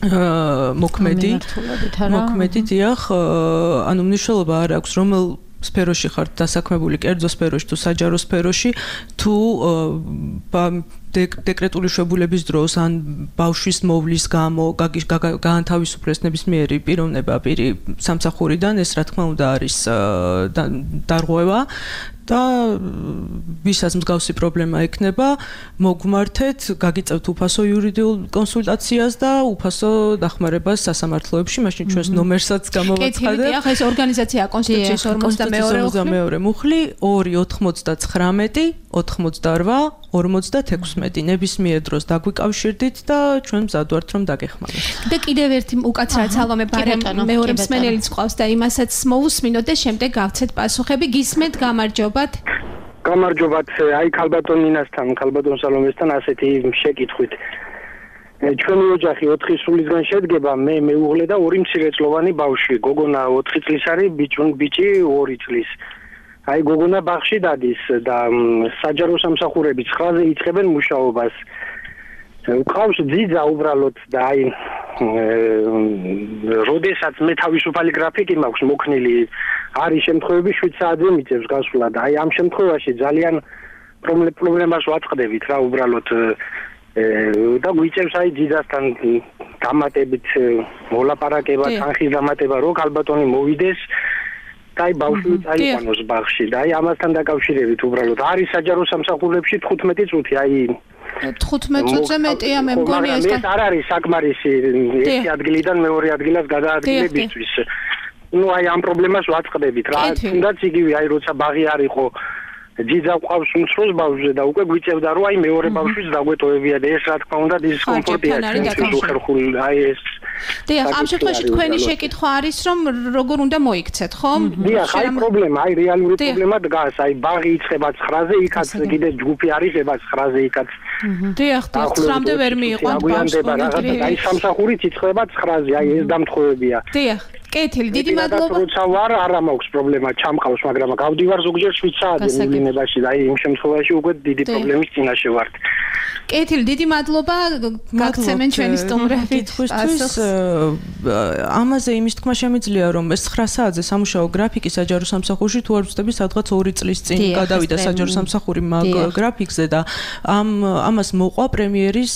[SPEAKER 12] მოქმედი მოქმედი დიახ ანუ მნიშვნელობა არ აქვს რომელ სფეროში ხართ დასაქმებული კერძო სფეროში თუ საჯარო სფეროში თუ დეკრეტული შვებულების დროს ან ბავშვის მოვლის გამო გაანთავისუფლეს ნებისმიერი პიროვნება პირი სამსახურიდან ეს რა თქმა უნდა არის დარღვევა და ვისაც მსგავსი პრობლემა ექნება მოგმართეთ გაგიწევთ უფასო იურიდიულ კონსულტაციას და უფასო დახმარებას სასამართლოებში მაშინ ჩვენს ნომერსაც გამოვაცხადებ.
[SPEAKER 5] კეთილი, ახლა ეს ორგანიზაცია კონსტიტუციის ორმოცდამეორე
[SPEAKER 12] მუხლი ორი ოთხმოცდაცხრამეტი ოთხმოცდარვა ორმოცდათექვსმეტი ნებისმიერ დროს დაგვიკავშირდით და ჩვენ მზად ვართ რომ დაგეხმაროთ.
[SPEAKER 5] და კიდევ ერთი უკაცრად სალომე ბარემ მეორე მსმენელიც ყავს და იმასაც მოусმინოთ და შემდეგ გავცეთ პასუხები. გისმენთ, გამარჯობათ.
[SPEAKER 14] გამარჯობათ, აი ქალბატონ ნინასთან, ქალბატონ სალომესთან ასეთი შეკითხვით. ჩვენი ოჯახი ოთხი სულისგან შედგება, მე მეუღლე და ორი მცირეწლოვანი ბავშვი. გოგონა ოთხი წლის არის, ბიჭი ორი წლის. აი გოგონა ბაღში დადის და საჯარო სამსახურები ცხრაზე იწყებენ მუშაობას. ყავს ძიძა უბრალოდ და აი როდესაც მე თავისუფალი გრაფიკი მაქვს მოქნილი არის შემთხვევები შვიდ საათზე მიწევს გასვლა და აი ამ შემთხვევაში ძალიან პრობლემას ვაწყდებით რა უბრალოდ და გვიწევს აი ძიძასთან დამატებით მოლაპარაკება თანხის დამატება რო ქალბატონი მოვიდეს და აი ბავშვი წაიყვანოს ბაღში და აი ამასთან დაკავშირებით უბრალოდ არის საჯარო სამსახურებში თხუთმეტი წუთი აი
[SPEAKER 5] თხუთმეტ წუთზე მეტია მე მგონი ეს
[SPEAKER 14] ეს არ არის საკმარისი ერთი ადგილიდან მეორე ადგილას გადაადგილებისთვის ну აი ამ პრობლემას ვაწყდებით რა თუნდაც იგივე აი როცა ბაღი არ იყო ძიძა ყავს უმცროს ბავშვზე და უკვე გვიწევდა რომ აი მეორე ბავშვის დაგვეტოვებია და ეს რა თქმა უნდა დისკომფორტია ხერხული აი ეს
[SPEAKER 5] დიახ ამ შემთხვევაში თქვენი შეკითხვა არის რომ როგორ უნდა მოიქცეთ ხო
[SPEAKER 14] დიახ აი პრობლემა აი რეალური პრობლემა დგას აი ბაღი იწყება ცხრაზე იქაც კიდე ჯგუფი არის ება ცხრაზე იქაც
[SPEAKER 5] დიახ ცხრამდე ვერ მიიყვანთ
[SPEAKER 14] ბავშვი აი სამსახურით იწყება ცხრაზე აი ეს დამთხოვებია
[SPEAKER 5] დიახ კეთილი დიდი მადლობა
[SPEAKER 14] როცა ვარ არა მაქვს პრობლემა ჩამყავს მაგრამ გავდივარ ზოგჯერ შვიდ საათზე მილინებაში და აი იმ შემთხვევაში უკვე დიდი პრობლემის წინაშე ვართ
[SPEAKER 5] კეთილი დიდი მადლობა გაგცემენ ჩვენი სტუმრები
[SPEAKER 12] თვითონ ამაზე იმის თქმა შემიძლია რომ ეს ცხრა საათზე სამუშაო გრაფიკი საჯარო სამსახურში თუ არ ვწდები სადღაც ორი წლის წინ გადავიდა საჯარო სამსახური მაგ გრაფიკზე და ამ ამას მოყვა პრემიერის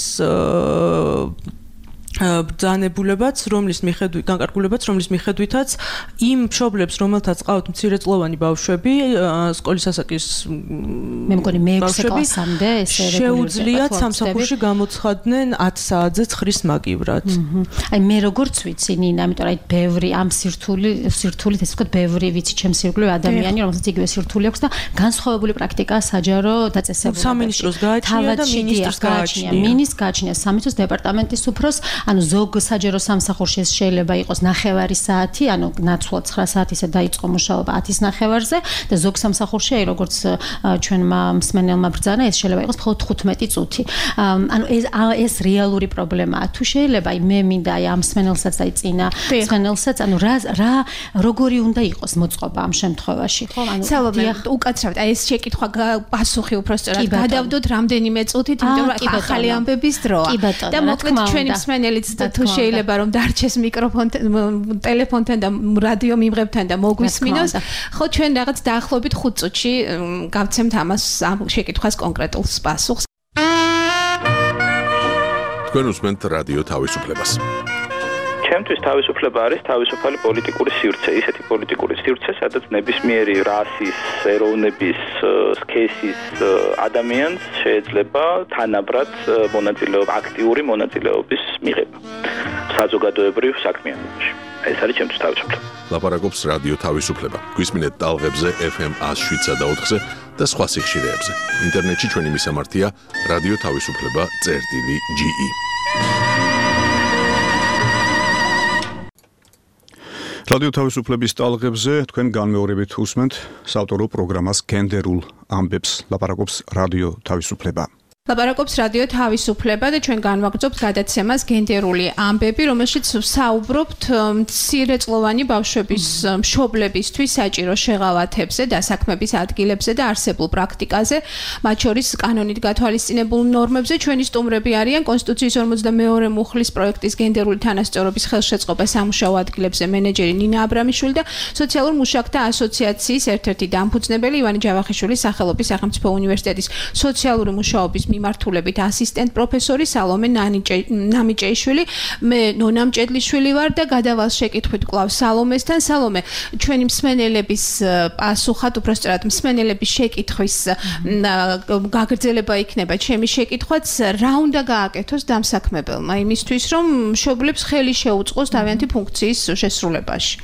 [SPEAKER 12] ბრძანებულებაც, რომლის მიხედვით, განკარგულებაც, რომლის მიხედვითაც იმ მშობლებს, რომელთაც ყავთ მცირეწლოვანი ბავშვები, სკოლის ასაკის
[SPEAKER 11] მე მგონი მეექვსე კლასამდე ესე
[SPEAKER 12] შეუძლიათ სამსახურში გამოცხადნენ ათ საათზე ცხრის მაგივრად.
[SPEAKER 11] აი მე როგორც ვიცი, ნინა, ამიტომ აი ბევრი ამ სირთული, სირთულით ესე ვთქვათ, ბევრი ვიცი ჩემს ირგვლივ ადამიანი, რომელსაც იგივე სირთული აქვს და განსხვავებული პრაქტიკაა საჯარო დაწესებულებაში.
[SPEAKER 12] სამინისტროს გააჩნია და მინისტრს გააჩნია.
[SPEAKER 11] მინისტრს გააჩნია სამინისტროს დეპარტამენტის უფროს ანუ ზოგ საჯარო სამსახურში ეს შეიძლება იყოს ნახევარი საათი, ანუ ნაცვლად ცხრა საათისა დაიწყო მუშაობა ათის ნახევარზე და ზოგ სამსახურში აი როგორც ჩვენმა მსმენელმა ბრძანა ეს შეიძლება იყოს მხოლოდ თხუთმეტი წუთი. ანუ ეს ეს რეალური პრობლემაა. თუ შეიძლება აი მე მინდა აი ამ მსმენელსაც აი წინა მსმენელსაც ანუ რა რა როგორი უნდა იყოს მოწყობა ამ შემთხვევაში.
[SPEAKER 5] ხო, ანუ სალომე უკაცრავთ აი ეს შეკითხვა პასუხი უბრალოდ გადავდოთ რამდენიმე წუთით, იმიტომ რომ ახალი ამბების დროა. და მოკლედ ჩვენი მსმენელი და თუ შეიძლება რომ დარჩეს მიკროფონთან, ტელეფონთან და რადიო მიმღებთან და მოგვისმინოს, ხო ჩვენ რაღაც დაახლოებით ხუთ წუთში გავცემთ ამას ამ შეკითხვას კონკრეტულ პასუხს.
[SPEAKER 1] თქვენ უსმენთ რადიო თავისუფლებას.
[SPEAKER 7] ჩემთვის თავისუფლება არის თავისუფალი პოლიტიკური სივრცე, ისეთი პოლიტიკური სივრცე, სადაც ნებისმიერი რასის, ეროვნების, სქესის ადამიანს შეიძლება თანაბრად მონაწილეობა, აქტიური მონაწილეობის მიღება საზოგადოებრივ საქმიანობაში.
[SPEAKER 14] ეს არის ჩემთვის თავისუფლება.
[SPEAKER 1] ლაპარაკობს რადიო თავისუფლება. გვისმინეთ ტალღებზე ეფ ემ one oh seven და ოთხზე და სხვა სიხშირეებზე. ინტერნეტში ჩვენი მისამართია რადიო თავისუფლება წერტილი ჯი ი.
[SPEAKER 2] რადიო თავისუფლების ტალღებზე თქვენ განმეორებით უსმენთ საავტორო პროგრამას გენდერულ ამბებს. ლაპარაკობს რადიო თავისუფლება.
[SPEAKER 5] ლაპარაკობს რადიო თავისუფლება და ჩვენ განვაგრძობთ გადაცემას გენდერული ამბები, რომელშიც საუბრობთ მცირეწლოვანი ბავშვების მშობლებისთვის საჭირო შეღავათებზე, დასაქმების ადგილებზე და არსებულ პრაქტიკაზე, მათ შორის კანონით გათვალისწინებულ ნორმებზე. ჩვენი სტუმრები არიან კონსტიტუციის ორმოცდამეორე მუხლის პროექტის გენდერული თანასწორობის ხელშეწყობა სამუშაო ადგილებზე მენეჯერი ნინა აბრამიშვილი და სოციალურ მუშაკთა ასოციაციის ერთ-ერთი დამფუძნებელი ივანე ჯავახიშვილის სახელობის სახელმწიფო უნივერსიტეტის სოციალური მუშაობის მიმართულებით ასისტენტ პროფესორი სალომე ნამიჭეიშვილი. მე ნონა მჭედლიშვილი ვარ და გადავალ შეკითხვით კვლავ სალომესთან. სალომე, ჩვენი მსმენელების პასუხად, უბრალოდ მსმენელების შეკითხვის გაგრძელება იქნება ჩემი შეკითხვაც, რა უნდა გააკეთოს დამსაქმებელმა იმისთვის, რომ მშობლებს ხელი შეუწყოს თავიანთი ფუნქციის შესრულებაში?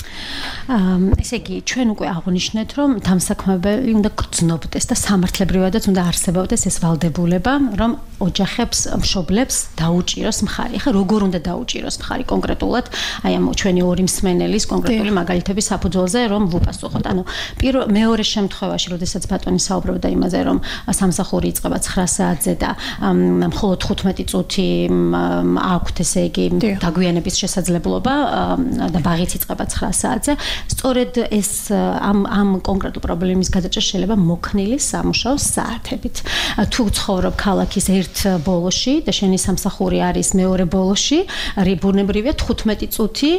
[SPEAKER 11] ესე იგი, ჩვენ უკვე აღნიშნეთ, რომ დამსაქმებელი უნდა გრძნობდეს და სამართლებრივადაც უნდა არსებობდეს ეს ვალდებულება, რომ ოჯახებს, მშობლებს დაუჭიროს მხარი. ახლა როგორ უნდა დაუჭიროს მხარი კონკრეტულად, აი ამ ჩვენი ორი მსმენელის კონკრეტული მაგალითების საფუძველზე, რომ ვუპასუხოთ. ანუ პირველ მეორე შემთხვევაში, როდესაც ბატონი საუბრობდა იმაზე, რომ სამსახური იწყება ცხრა საათზე და მხოლოდ ხუთმეტი წუთი აქვთ, ესე იგი, დაგვიანების შესაძლებლობა და ბაღიც იწყება ცხრა საათზე, სწორედ ეს ამ ამ კონკრეტულ პრობლემის გადაჭრა შეიძლება მოქნილი სამუშაო საათებით. თუ ცხოვრობ ქალაქის ერთ ბოლოში და შენი სამსახური არის მეორე ბოლოში, რიბუნებრივია თხუთმეტი წუთი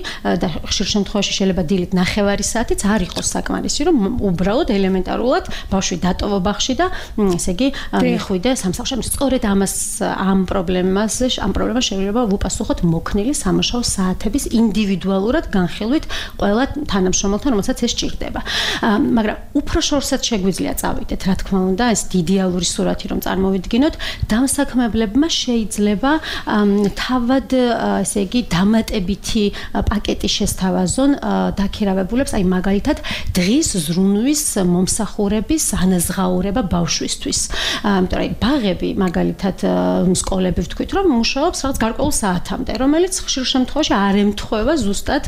[SPEAKER 11] და ხშირ შემთხვევაში შეიძლება დილით ნახევარი საათიც არ იყოს საკმარისი, რომ უბრალოდ ელემენტარულად ბავშვი დატოვო ბაღში და ესე იგი მიხვიდე სამსახურში. სწორედ ამას ამ პრობლემას ამ პრობლემას შეიძლება ვუპასუხოთ მოქნილი სამუშაო საათების ინდივიდუალურად განხილვით ყველა თანამშრომელთან, რომელსაც ეს ჭირდება. მაგრამ უფრო შორსაც შეგვიძლია წავიდეთ, რა თქმა უნდა, ეს იდეალური სურათი რომ წარმოვიდგინოთ, დამსაქმებლებმა შეიძლება თავად ესე იგი დამატებითი პაკეტი შესთავაზონ დაქირავებულებს, აი მაგალითად დღის ზრუნვის მომსახურების ანაზღაურება ბავშვისთვის. იმიტომ რომ ბაღები მაგალითად სკოლები ვთქვით, რომ მუშაობს რაღაც გარკვეულ საათამდე, რომელიც ხშირ შემთხვევაში არ ემთხვევა ზუსტად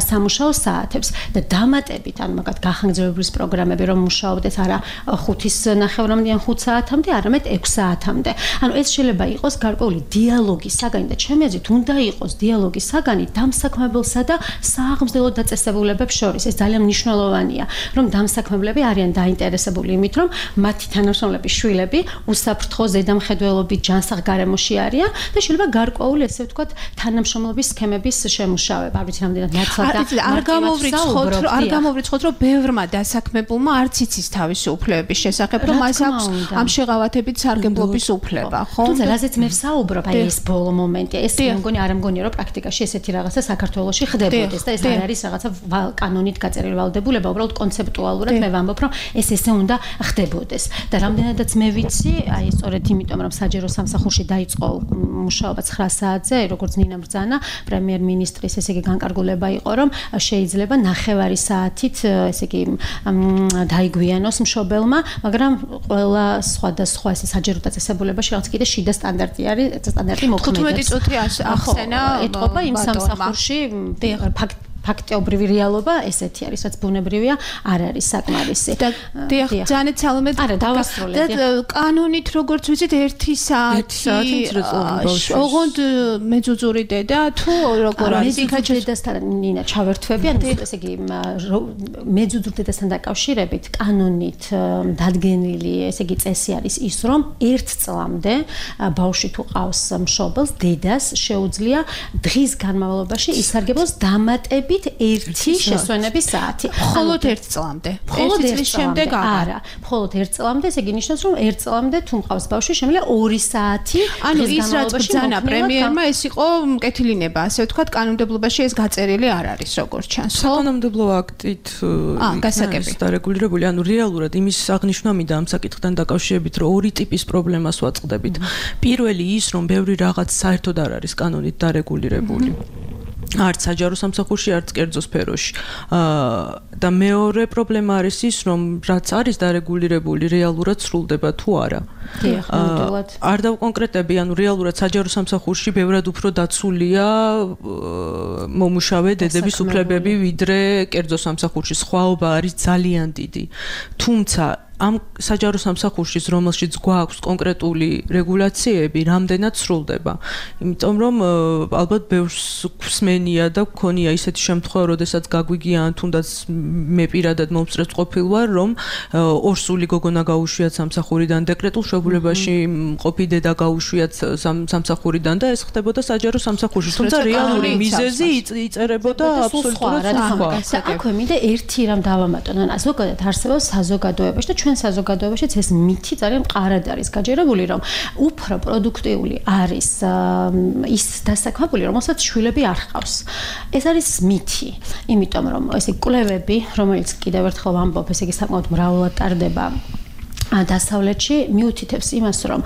[SPEAKER 11] სამუშაო საათებს და დამატებით, ანუ მაგათ გახანგრძლივების პროგრამები რომ მუშაობდეს არა ხუთის ნახევრამდე ან ხუთ საათამდე, არამედ ექვს საათამდე. ანუ ეს შეიძლება იყოს გარკვეული დიალოგის საგანი და ჩემი აზრით უნდა იყოს დიალოგის საგანი დამსაქმებელსა და სააღმზრდელო დაწესებულებებს შორის. ეს ძალიან მნიშვნელოვანია, რომ დამსაქმებლები არიან დაინტერესებული იმით, რომ მათი თანამშრომლების შვილები უსაფრთხო ზედამხედველობით ჯანსაღ გარემოში არიან და შეიძლება გარკვეული ესე ვთქვათ თანამშრომლობის სქემების შემუშავება. არ ვიცი რამდენად ნაცვლად და
[SPEAKER 5] არ გამოვრიცხოთ, არ გამოვრიცხოთ, რომ ბევრმა დასაქმებულმა არც იცის თავისი უფლებების შესახებ, რომ მას აქვს ამ შეღავათებით სარგებლობის უფლება, ხო?
[SPEAKER 11] თუმცა რაზეც მე ვსაუბრობ, აი ეს ბოლო მომენტია, ეს მგონი არ მგონია, რომ პრაქტიკაში ესეთი რაღაცა საქართველოში ხდებოდეს და ეს არ არის რაღაცა კანონით გაწერილი ვალდებულება, უბრალოდ კონცეპტუალურად მე ვამბობ, რომ ეს ესე უნდა ხდებოდეს. და რამდენადაც მე ვიცი, აი სწორედ იმიტომ, რომ საჯარო სამსახურში დაიწყო მუშაობა ცხრა საათზე, როგორც ნინა ბრძანა, პრემიერ-მინისტრის ესე იგი განკარგულება იყო, რომ შეიძლება ნახევარი საათით ესე იგი დაიგვიანოს მშობელმა, მაგრამ ყველა სხვადასხვა ესე საჯარო დაწესებულებაში რაღაც კიდე შიდა სტანდარტი არის, სტანდარტი მოქმედებს.
[SPEAKER 5] თხუთმეტი წუთი ახსენა
[SPEAKER 11] ეთყობა იმ სამსახურში ფაქტ ფაქტობრივი რეალობა ესეთი არის, რაც ბუნებრივია, არ არის საკმარისი.
[SPEAKER 5] და დიახ, ძალიან ცალმე
[SPEAKER 11] არა, დავასრულე.
[SPEAKER 5] და კანონით როგორც ვიცით, ერთი საათი ოღონდ მეძუძური დედა თუ როგორ არის?
[SPEAKER 11] მეძუძური დედასთან ნინა ჩავერთვები, ანუ ესე იგი მეძუძურ დედასთან დაკავშირებით კანონით დადგენილი ესე იგი წესი არის ის, რომ ერთ წლამდე ბავშვი თუ ყავს მშობელს, დედას შეუძლია დღის განმავლობაში ისარგებლოს დამატებით ერთი შესვენების საათი.
[SPEAKER 5] მხოლოდ ერთ წლამდე.
[SPEAKER 11] მხოლოდ ერთ წლის შემდეგ არა. მხოლოდ ერთ წლამდე, ესე იგი ნიშნავს, რომ ერთ წლამდე თუ მყავს ბავშვი, შემიძლია ორი საათი.
[SPEAKER 5] ანუ ის რაც ბრძანა პრემიერმა, ეს იყო მკეთილინება, ასე ვთქვათ, კანონმდებლობაში ეს გაწერილი არ არის, როგორც ჩანს.
[SPEAKER 12] საკანონმდებლო აქტით
[SPEAKER 5] გასაგები
[SPEAKER 12] დარეგულირებული, ანუ რეალურად იმის აღნიშვნა მინდა ამ საკითხთან დაკავშირებით, რომ ორი ტიპის პრობლემას ვაწყდებით. პირველი ის, რომ ბევრი რაღაც საერთოდ არ არის კანონით დარეგულირებული. არც საჯარო სამსახურში, არც კერძო სფეროში. აა და მეორე პრობლემა არის ის, რომ რაც არის დარეგულირებული, რეალურად სრულდება თუ არა.
[SPEAKER 11] დიახ, ნამდვილად.
[SPEAKER 12] არ დავკონკრეტები, ანუ რეალურად საჯარო სამსახურში ბევრად უფრო დაცულია მომუშავე დედების უფლებები, ვიდრე კერძო სამსახურში. სხვაობა არის ძალიან დიდი. თუმცა ამ საჯარო სამსახურში, რომელშიც გვაქვს კონკრეტული რეგულაციები, რამდენად სრულდება. იმიტომ რომ ალბათ ბევრს გვსმენია და გქონია ისეთი შემთხვევა, როდესაც გაგვიგიან თუნდაც მე პირადად მომსწრებს ყოფილ ვარ, რომ ორსული გოგონა გაუშვიათ სამსახურიდან, დეკრეტულ შეგულებაში მყოფი დედა გაუშვიათ სამსახურიდან და ეს ხდებოდა საჯარო სამსახურში. თუმცა რეალური მიზეზი იწერებოდა აბსოლუტურად სხვა.
[SPEAKER 11] და აქვე მინდა ერთი რამ დავამატონ, ან ზოგადად არსებობს საზოგადოებაში და ჩვენ საზოგადოებაშიც ეს მითი ძალიან მყარად არის გაჯერებული, რომ უფრო პროდუქტიული არის ის დასაქმებული, რომელსაც შვილები არ ჰყავს. ეს არის მითი, იმიტომ რომ ესე კვლევები, რომელიც კიდევ ერთხელ ვამბობ, ესე იგი საკმაოდ მრავლად ტარდება დასავლეთში მიუთითებს იმას, რომ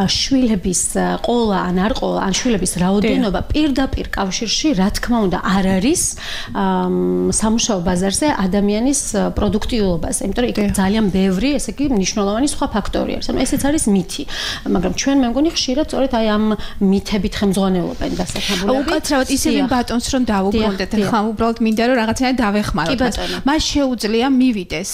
[SPEAKER 11] შვილების ყოლა ან არ ყოლა, ან შვილების რაოდენობა პირდაპირ კავშირში, რა თქმა უნდა, არ არის სამუშაო ბაზარზე ადამიანის პროდუქტიულობაზე, იმიტომ რომ იქ ძალიან ბევრი, ესე იგი, მნიშვნელოვანი სხვა ფაქტორი არის. ანუ ესეც არის მითი, მაგრამ ჩვენ მე მგონი ხშირად სწორედ აი ამ მითებით ხელმძღვანელობენ დასაქმებულები.
[SPEAKER 5] უკაცრავად ისევე ბატონს რომ დავუბრუნდეთ, ხა უბრალოდ მინდა რომ რაღაცნაირად დავეხმაროთ. მას შეუძლია მივიდეს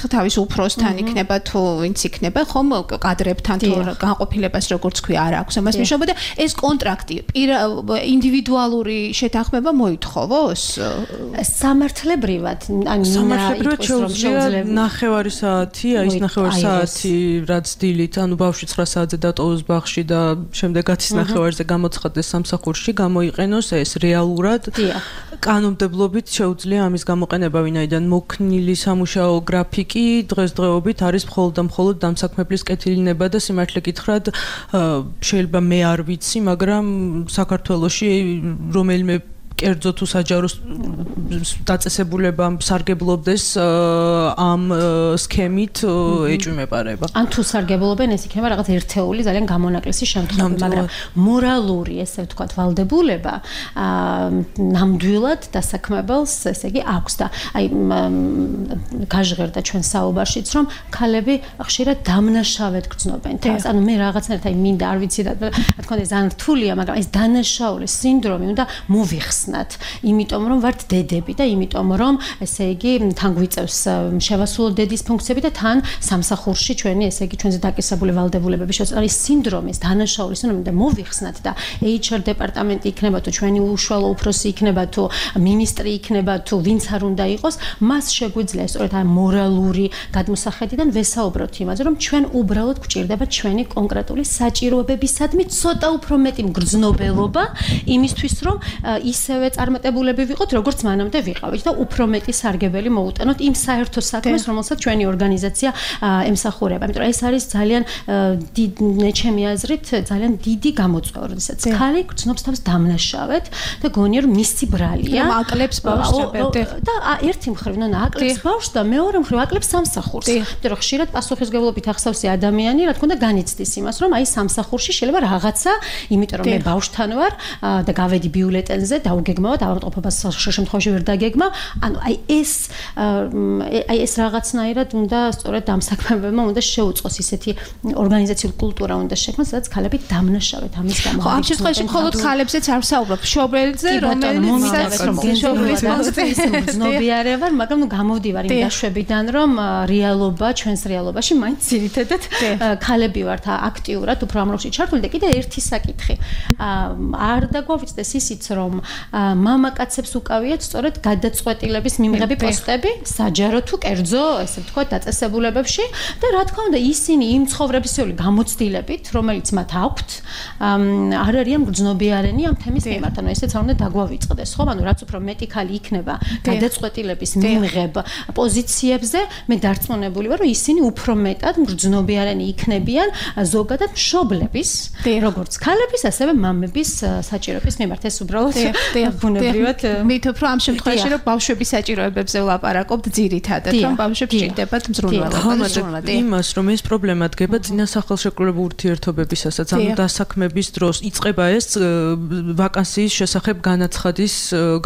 [SPEAKER 5] თავის უფროსთან იქნება თუ ვინც იქნება, ხომ კადრებთან თუ განყოფილებას როგორც ქვია არ აქვს. ამას მიშობოდა ეს კონტრაქტი ინდივიდუალური შეთანხმება მოითხოვოს?
[SPEAKER 11] სამართლებრივად, ან
[SPEAKER 12] სამართლებრივად შეუძლია ნახევარი საათი, აი ეს ნახევარი საათი რაც დილით, ანუ ბავშვი ცხრა საათზე დატოვოს ბაღში და შემდეგ ათის ნახევარზე გამოცხადდეს სამსახურში, გამოიყენოს ეს რეალურად. კანონმდებლობით შეუძლია ამის გამოყენება, ვინაიდან მოქნილი სამუშაო გრაფიკი დღესდღეობით არის მხოლოდ და მხოლოდ დამსაქმებლის კეთილინება და სიმართლე გითხრათ, შეიძლება მე არ ვიცი, მაგრამ საქართველოში რომელიმე კერძო თუ საჯარო დაწესებულება სარგებლობდეს ამ სქემით ეჭვმეპარება.
[SPEAKER 11] ან თუ სარგებლობენ, ეს იქნება რაღაც ერთეული ძალიან გამონაკლისი შემთხვევა, მაგრამ მორალური, ესე ვთქვათ, ვალდებულება ნამდვილად დასაქმებელს, ესე იგი, აქვს და აი გაჟღერდა ჩვენ საუბარშიც, რომ ქალები ხშირად დამნაშავედ გრძნობენ თავს. ანუ მე რაღაცნაირად აი მინდა არ ვიცი რა თქმა უნდა ძალიან რთულია, მაგრამ ეს დანაშაულის სინდრომი უნდა მოვიხსნათ. იმიტომ რომ ვართ დედები და იმიტომ რომ ესე იგი თან გვიწევს შევასრულოთ დედის ფუნქციები და თან სამსახურში ჩვენი ესე იგი ჩვენზე დაკისრებული ვალდებულებები შევასრულოთ. არის სინდრომის დანაშაულის სინდრომი და მოვიხსნათ და ეიჩ არ დეპარტამენტი იქნება თუ ჩვენი უშუალო უფროსი იქნება თუ მინისტრი იქნება თუ ვინც არ უნდა იყოს, მას შეგვიძლია სწორედ ამ მორალური გადმოსახედიდან ვესაუბროთ იმაზე, რომ ჩვენ უბრალოდ გვჭირდება ჩვენი კონკრეტული საჭიროებებისადმი ცოტა უფრო მეტი მგრძნობელობა იმისთვის, რომ ისევ წარმატებულები ვიყოთ, როგორც მანამდე ვიყავით და უფრო მეტი სარგებელი მოუტანოთ იმ საერთო საქმეს, რომელსაც ჩვენი ორგანიზაცია ემსახურება. იმიტომ რომ ეს არის ძალიან ჩემი აზრით ძალიან დიდი გამოწვევა, როდესაც ქალი გრძნობს თავს დამნაშავედ და გონია რომ მისი ბრალია.
[SPEAKER 5] რომ აკლებს ბავშვს
[SPEAKER 11] და ერთი მხრივ ნონა აკლებს ბავშვს და მეორე მხრივ აკლებს სამსახურს. იმიტომ რომ ხშირად პასუხისმგებლობით ახსავსი ადამიანი, რა თქმა უნდა, განიცდის იმას, რომ აი სამსახურში შეიძლება რაღაცა, იმიტომ რომ მე ბავშვთან ვარ და გავედი ბიულეტენზე და გეგმავად ავადმყოფობას ხშირ შემთხვევაში ვერ დაგეგმა. ანუ აი ეს აი ეს რაღაცნაირად უნდა სწორედ დამსაქმებელმა უნდა შეუწყოს ისეთი ორგანიზაციული კულტურა უნდა შექმნას, სადაც ქალები დამნაშავედ ამის გამო.
[SPEAKER 5] ხო, ამ შემთხვევაში მხოლოდ ქალებზეც არ ვსაუბრობ, მშობელზე, რომელიც
[SPEAKER 11] ზნობიარე ვარ, მაგრამ ნუ გამოვდივარ იმ დაშვებიდან, რომ რეალობა, ჩვენს რეალობაში მაინც ძირითადად ქალები ვართ აქტიურად უფრო ამ როლში ჩართული და კიდე ერთი საკითხი. არ დაგვავიწყდეს ისიც, რომ მამაკაცებს უკავიათ სწორედ გადაწყვეტილების მიმღები პოსტები, საჯარო თუ კერძო, ესე ვთქვათ, დაწესებულებებში და რა თქმა უნდა, ისინი იმ ცხოვრებისეული გამოცდილებით, რომელიც მათ აქვთ, არ არიან მგრძნობიარენი ამ თემის მიმართ. ანუ ესეც არ უნდა დაგვავიწყდეს, ხო? ანუ რაც უფრო მეტი ქალი იქნება გადაწყვეტილების მიმღებ პოზიციებზე, მე დარწმუნებული ვარ, რომ ისინი უფრო მეტად მგრძნობიარენი იქნებიან ზოგადად მშობლების, როგორც ქალების, ასევე მამების საჭიროების მიმართ. ეს უბრალოდ ბუნებრივად
[SPEAKER 5] მით უფრო ამ შემთხვევაში რომ ბავშვების საჭიროებებზე ვლაპარაკობთ ძირითადად რომ ბავშვებს ჭირდებათ მზრუნველობა
[SPEAKER 12] იმას რომ ეს პრობლემა დგება წინა სახელშეკრულებულ ურთიერთობებისასაც ანუ დასაქმების დროს იწყება ეს ვაკანსიის შესახებ განაცხადის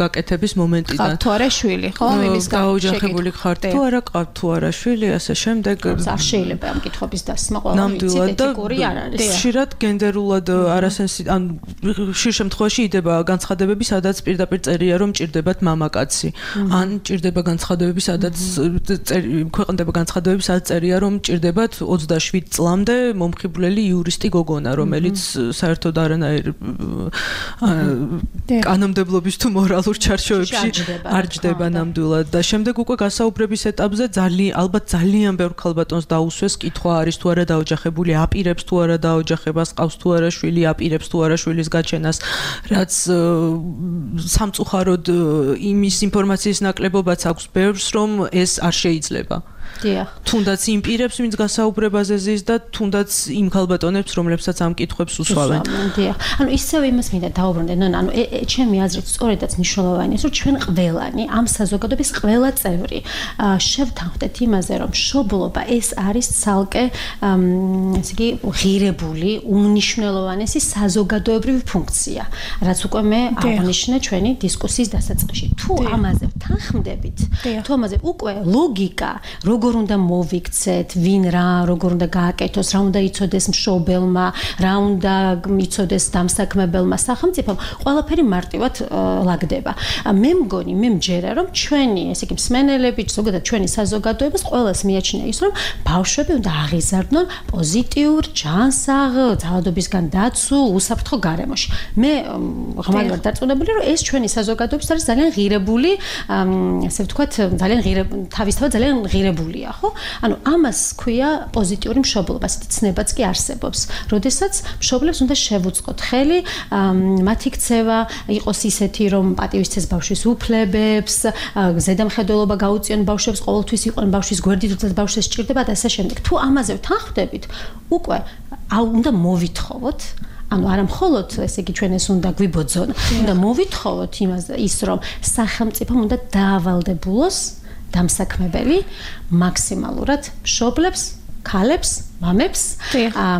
[SPEAKER 12] გაკეთების მომენტიდან
[SPEAKER 5] თუ არა შვილი ხო იმის
[SPEAKER 12] გაოჯახებული ხართ თუ არა ყავთ თუ არა შვილი ასე შემდეგ
[SPEAKER 11] არ შეიძლება ამ კითხვის დასმა ყველა ეთიკური არ არის
[SPEAKER 12] ხშირად გენდერულად არასენსი ან ხშირ შემთხვევაში იდება განცხადებები სადაც პირდაპირ წერია რომ ჭირდებათ მამაკაცი ან ჭირდება განცხადებები სადაც ქვეყნდება განცხადებები სადაც წერია რომ ჭირდებათ ოცდაშვიდ წლამდე მომხიბვლელი იურისტი გოგონა რომელიც საერთოდ არანაირ კანონმდებლობის თუ მორალურ ჩარჩოებში არ ჯდება ნამდვილად და შემდეგ უკვე გასაუბრების ეტაპზე ძალიან ალბათ ძალიან ბევრ ქალბატონს დაუსვეს კითხვა არის თუ არა დაოჯახებული აპირებს თუ არა დაოჯახებას ყავს თუ არა შვილი აპირებს თუ არა შვილის გაჩენას რაც სამწუხაროდ იმის ინფორმაციის ნაკლებობაც აქვს ბევრს რომ ეს არ შეიძლება
[SPEAKER 11] დიახ
[SPEAKER 12] თუნდაც იმ პირებს ვინც გასაუბრებაზე ზის და თუნდაც იმ ქალბატონებს რომლებსაც ამ კითხვებს უსვავენ
[SPEAKER 11] დიახ ანუ ისევ იმას მინდა დაუბრუნდე ნონა ანუ ჩემი აზრით სწორედაც მნიშვნელოვანია რომ ჩვენ ყველანი ამ საზოგადოების ყველა წევრი შევთანხმდეთ იმაზე რომ მშობლობა ეს არის ცალკე ესე იგი ღირებული უმნიშვნელოვანესი საზოგადოებრივი ფუნქცია რაც უკვე მე აღნიშნე ჩვენი დისკუსიის დასაწყისში თუ ამაზე ვთანხმდებით თუ ამაზე უკვე ლოგიკა როგორ უნდა მოვიქცეთ, ვინ რა, როგორ უნდა გააკეთოს, რა უნდა იცოდეს მშობელმა, რა უნდა იცოდეს დამსაქმებელმა სახელმწიფომ, ყველაფერი მარტივად ლაგდება. მე მგონი, მე მჯერა, რომ ჩვენი, ესე იგი, მსმენელები, ზოგადად ჩვენი საზოგადოებას ყველას მიაჩნია ის, რომ ბავშვები უნდა აღიზარდნონ პოზიტიურ, ჯანსაღ, ძალადობისგან დაცულ, უსაფრთხო გარემოში. მე ღმერთი ვარ დარწმუნებული, რომ ეს ჩვენი საზოგადოების არის ძალიან ღირებული, ასე ვთქვათ, ძალიან ღირებული, თავისთავად ძალიან ღირებული ხო? ანუ ამას ქვია პოზიტიური მშობლობა, ასეთი ცნებაც კი არსებობს. როდესაც მშობლებს უნდა შევუწყოთ ხელი, მათი ქცევა იყოს ისეთი, რომ პატივისცეს ბავშვის უფლებებს, ზედამხედველობა გაუწიონ ბავშვებს, ყოველთვის იყვნენ ბავშვის გვერდით, როდესაც ბავშვს სჭირდება და ასე შემდეგ. თუ ამაზე ვთანხმდებით, უკვე უნდა მოვითხოვოთ ანუ არა მხოლოდ ესე იგი ჩვენ ეს უნდა გვიბოძონ, უნდა მოვითხოვოთ იმას ის რომ სახელმწიფომ უნდა დაავალდებულოს დამსაქმებელი მაქსიმალურად მშობლებს, ქალებს, მამებს,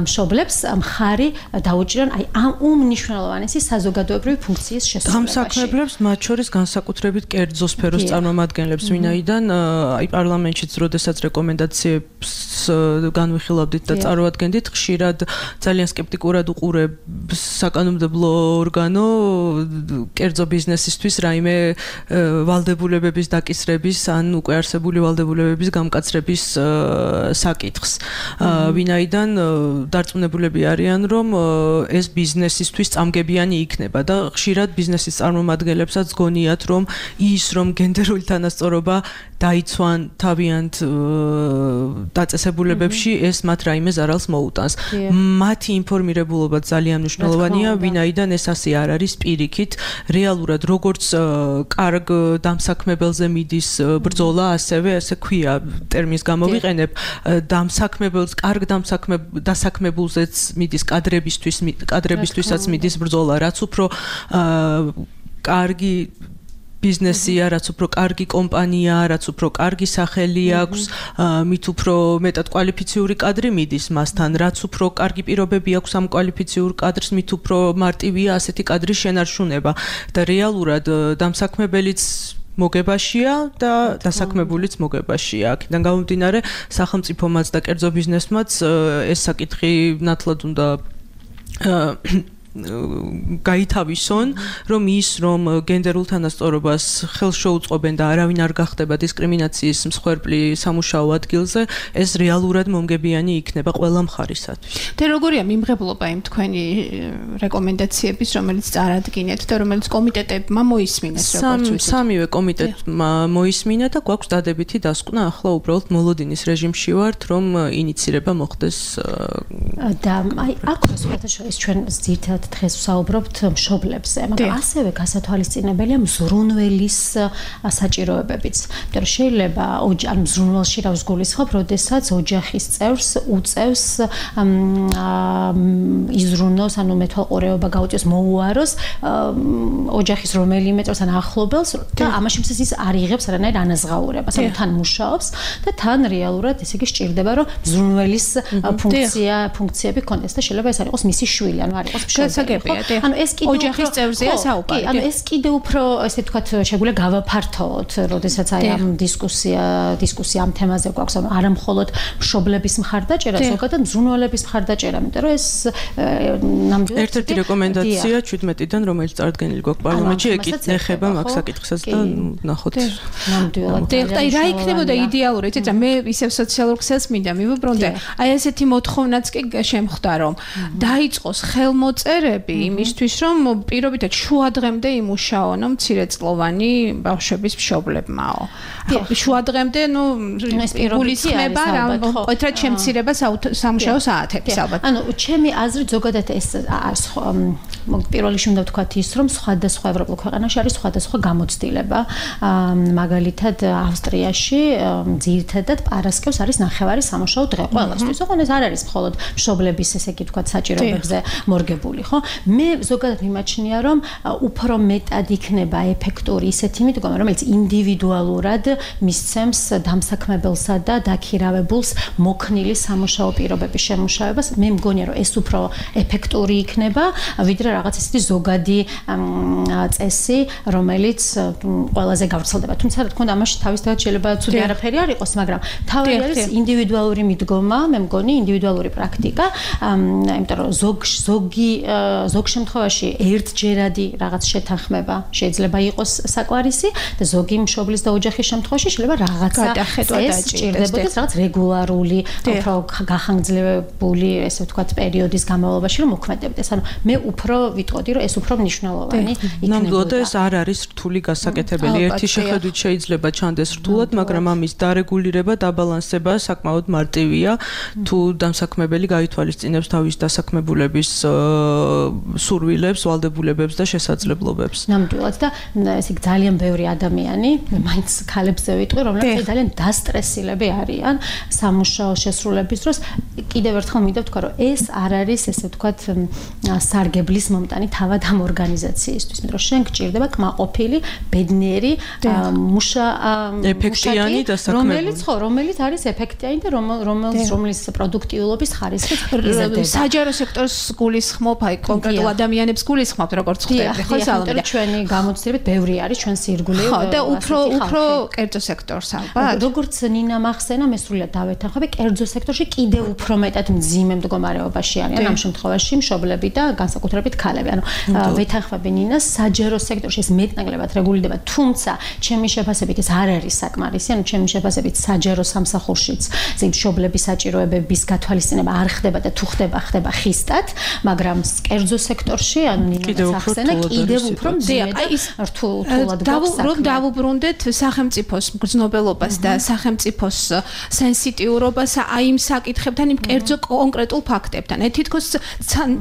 [SPEAKER 11] მშობლებს მხარი დაუჭირონ აი ამ უმნიშვნელოვანესი საზოგადოებრივი ფუნქციის შესრულებაში.
[SPEAKER 12] დამსაქმებლებს მათ შორის განსაკუთრებით კერძო სფეროს წარმომადგენლებს, ვინაიდან აი პარლამენტშიც როდესაც რეკომენდაციებს განვიხილავდით და წარმოადგენდით, ხშირად ძალიან სკეპტიკურად უყურებს საკანონმდებლო ორგანო კერძო ბიზნესისთვის რაიმე ვალდებულებების დაკისრების ან უკვე არსებული ვალდებულებების გამკაცრების საკითხს. ვინაიდან დარწმუნებულები არიან, რომ ეს ბიზნესისთვის წამგებიანი იქნება და ხშირად ბიზნესის წარმომადგენლებსაც გონიათ, რომ ის რომ გენდერული თანასწორობა დაიცვან თავიანთ დაწესებულებებში, ეს მათ რაიმე ზარალს მოუტანს. მათი ინფორმირებულობა ძალიან მნიშვნელოვანია, ვინაიდან ეს ასე არ არის პირიქით. რეალურად როგორც კარგ დამსაქმებელზე მიდის ბრძოლა, ასევე ასე ქვია ტერმინს გამოვიყენებ, დამსაქმებელს კარგ დასაქმებულზეც მიდის კადრებისთვის, კადრებისთვისაც მიდის ბრძოლა, რაც უფრო კარგი ბიზნესია, რაც უფრო კარგი კომპანია, რაც უფრო კარგი სახელი აქვს, მით უფრო მეტად კვალიფიციური კადრი მიდის მასთან, რაც უფრო კარგი პირობები აქვს ამ კვალიფიციურ კადრს, მით უფრო მარტივია ასეთი კადრის შენარჩუნება და რეალურად დამსაქმებელიც მოგებაშია და დასაქმებულიც მოგებაშია. აქედან გამომდინარე, სახელმწიფომაც და კერძო ბიზნესმაც ეს საკითხი ნათლად უნდა გაითავისონ, რომ ის რომ გენდერულ თანასწორობას ხელს შეუწყობენ და არავინ არ გახდება დისკრიმინაციის მსხვერპლი სამუშაო ადგილზე, ეს რეალურად მომგებიანი იქნება ყველა მხარისათვის.
[SPEAKER 5] და როგორია მიმღებლობა იმ თქვენი რეკომენდაციების, რომელიც წარადგინეთ და რომელიც კომიტეტებმა მოისმინეს, როგორც ვიცით?
[SPEAKER 12] სამივე კომიტეტმა მოისმინა და გვაქვს დადებითი დასკვნა, ახლა უბრალოდ მოლოდინის რეჟიმში ვართ, რომ ინიცირება მოხდეს
[SPEAKER 11] და აი აქ სხვათა შორის ჩვენ ძირითადად დღეს ვსაუბრობთ მშობლებზე, მაგრამ ასევე გასათვალისწინებელია მზრუნველის საჭიროებებიც. იმიტომ რომ შეიძლება ან მზრუნველში რა ვსგულისხმობ, როდესაც ოჯახის წევრს უწევს იზრუნოს, ანუ მეთვალყურეობა გაუწევს, მოუაროს ოჯახის რომელიმე წევრს ან ახლობელს და ამაში მისის ის არ იღებს არანაირ ანაზღაურებას, ანუ თან მუშაობს და თან რეალურად ესე იგი სჭირდება რომ მზრუნველის ფუნქცია, ფუნქციები კონდეს და შეიძლება ეს არ იყოს მისი შვილი, ანუ არ იყოს მშობელი. ანუ ეს კიდე
[SPEAKER 5] ოჯახის წევრზეა საუბარი.
[SPEAKER 11] ანუ ეს კიდე უფრო ესე ვთქვათ შეგვიძლია გავაფართოვოთ, როდესაც აი ამ დისკუსია, დისკუსია ამ თემაზე გვაქვს, ანუ არა მხოლოდ მშობლების მხარდაჭერა, ზოგადად მზრუნველების მხარდაჭერა, იმიტომ რომ ეს ნამდვილად
[SPEAKER 12] ერთ-ერთი რეკომენდაცია ჩვიდმეტიდან, რომელიც წარდგენილი გვაქვს პარლამენტში, ეკითხება მაგ საკითხსაც და ნახოთ
[SPEAKER 11] ნამდვილად.
[SPEAKER 5] და აი რა იქნებოდა იდეალური, იცით რა, მე ისევ სოციალურ ქსელს მინდა მივუბრუნდე. აი ესეთი მოთხოვნაც კი შემხვდა, რომ დაიწყოს ხელმოწერები იმისთვის, რომ პირობითად შუა დღემდე იმუშაონო მცირეწლოვანი ბავშვების მშობლებმაო. შუა დღემდე, ნუ გულისხმება რა, ყოთრად შემცირება სამუშაო საათების ალბათ.
[SPEAKER 11] ანუ ჩემი აზრით ზოგადად ეს პირველ რიგში უნდა ვთქვათ ის, რომ სხვადასხვა ევროპულ ქვეყანაში არის სხვადასხვა გამოცდილება. მაგალითად ავსტრიაში ძირითადად პარასკევს არის ნახევარი სამუშაო დღე ყველასთვის. ოღონდ ეს არ არის მხოლოდ მშობლების ესე იგი ვთქვათ საჭიროებებზე მორგებული, ხო? მე ზოგადად მიმაჩნია, რომ უფრო მეტად იქნება ეფექტური ისეთი მიდგომა, რომელიც ინდივიდუალურად მისცემს დამსაქმებელსა და დაქირავებულს მოქნილი სამუშაო პირობების შემუშავებას. მე მგონია, რომ ეს უფრო ეფექტური იქნება, ვიდრე რაღაც ისეთი ზოგადი წესი, რომელიც ყველაზე გავრცელდება. თუმცა რა თქმა უნდა, ამაში თავისთავად შეიძლება ცუდი არაფერი არ იყოს, მაგრამ თავი არის ინდივიდუალური მიდგომა, მე მგონი ინდივიდუალური პრაქტიკა, იმიტომ რომ ზოგ ზოგი ზოგ შემთხვევაში ერთჯერადი რაღაც შეთანხმება შეიძლება იყოს საკვარისი და ზოგი მშობლის და ოჯახის შემთხვევაში შეიძლება რაღაცა წეს ჭირდებოდეს რაღაც რეგულარული, უფრო გახანგრძლივებული, ესე ვთქვათ, პერიოდის განმავლობაში რომ მოქმედებდეს. ანუ მე უფრო ვიტყოდი, რომ ეს უფრო მნიშვნელოვანი იქნებოდა.
[SPEAKER 12] ნამდვილად ეს არ არის რთული გასაკეთებელი. ერთი შეხედვით შეიძლება ჩანდეს რთულად, მაგრამ ამის დარეგულირება, დაბალანსება საკმაოდ მარტივია, თუ დამსაქმებელი გაითვალისწინებს თავის დასაქმებულების სურვილებს, ვალდებულებებს და შესაძლებლობებს.
[SPEAKER 11] ნამდვილად და ესე ძალიან ბევრი ადამიანი, მაინც ქალებზე ვიტყვი, რომლებიც ძალიან დასტრესილები არიან სამუშაო შესრულების დროს. კიდევ ერთხელ მინდა ვთქვა, რომ ეს არ არის ესე ვთქვათ სარგებლის მომტანი თავად ამ ორგანიზაციისთვის, იმიტომ რომ შენ გჭირდება კმაყოფილი, ბედნიერი, მუშა
[SPEAKER 12] ეფექტიანი დასაქმებული,
[SPEAKER 11] რომელიც ხო, რომელიც არის ეფექტიანი და რომელიც რომელიც პროდუქტიულობის ხარისხით იზრდება.
[SPEAKER 5] საჯარო სექტორს გულისხმობ, აი კონკრეტულ ადამიანებს გულისხმობ, როგორც ხვდები, ხო სალომე.
[SPEAKER 11] ჩვენი გამოცდილებით ბევრი არის ჩვენს ირგვლივ.
[SPEAKER 5] ხო, და უფრო უფრო კერძო სექტორს ალბათ.
[SPEAKER 11] როგორც ნინა მახსენა, მე სრულად დავეთანხმები, კერძო სექტორში კიდევ უფრო მეტად მძიმე მდგომარეობაში არიან ამ შემთხვევაში მშობლები და განსაკუთრებით ქალები. ანუ ვეთანხმები ნინას, საჯარო სექტორში ეს მეტნაკლებად რეგულირდება, თუმცა ჩემი შეფასებით ეს არ არის საკმარისი, ანუ ჩემი შეფასებით საჯარო სამსახურშიც ზეიმ მშობლების საჭიროებების გათვალისწინება არ ხდება და თუ ხდება, ხდება ხისტად, მაგრამ კერძო სექტორში, ანუ ნინას ახსენა კიდევ უფრო მძიმე და რთულად გვაქვს.
[SPEAKER 5] რომ დავუბრუნდეთ სახელმწიფოს მგრძნობელობას და სახელმწიფოს სენსიტიურობას აი იმ საკითხებთან, იმ კერძო კონკრეტულ ფაქტებთან. თითქოს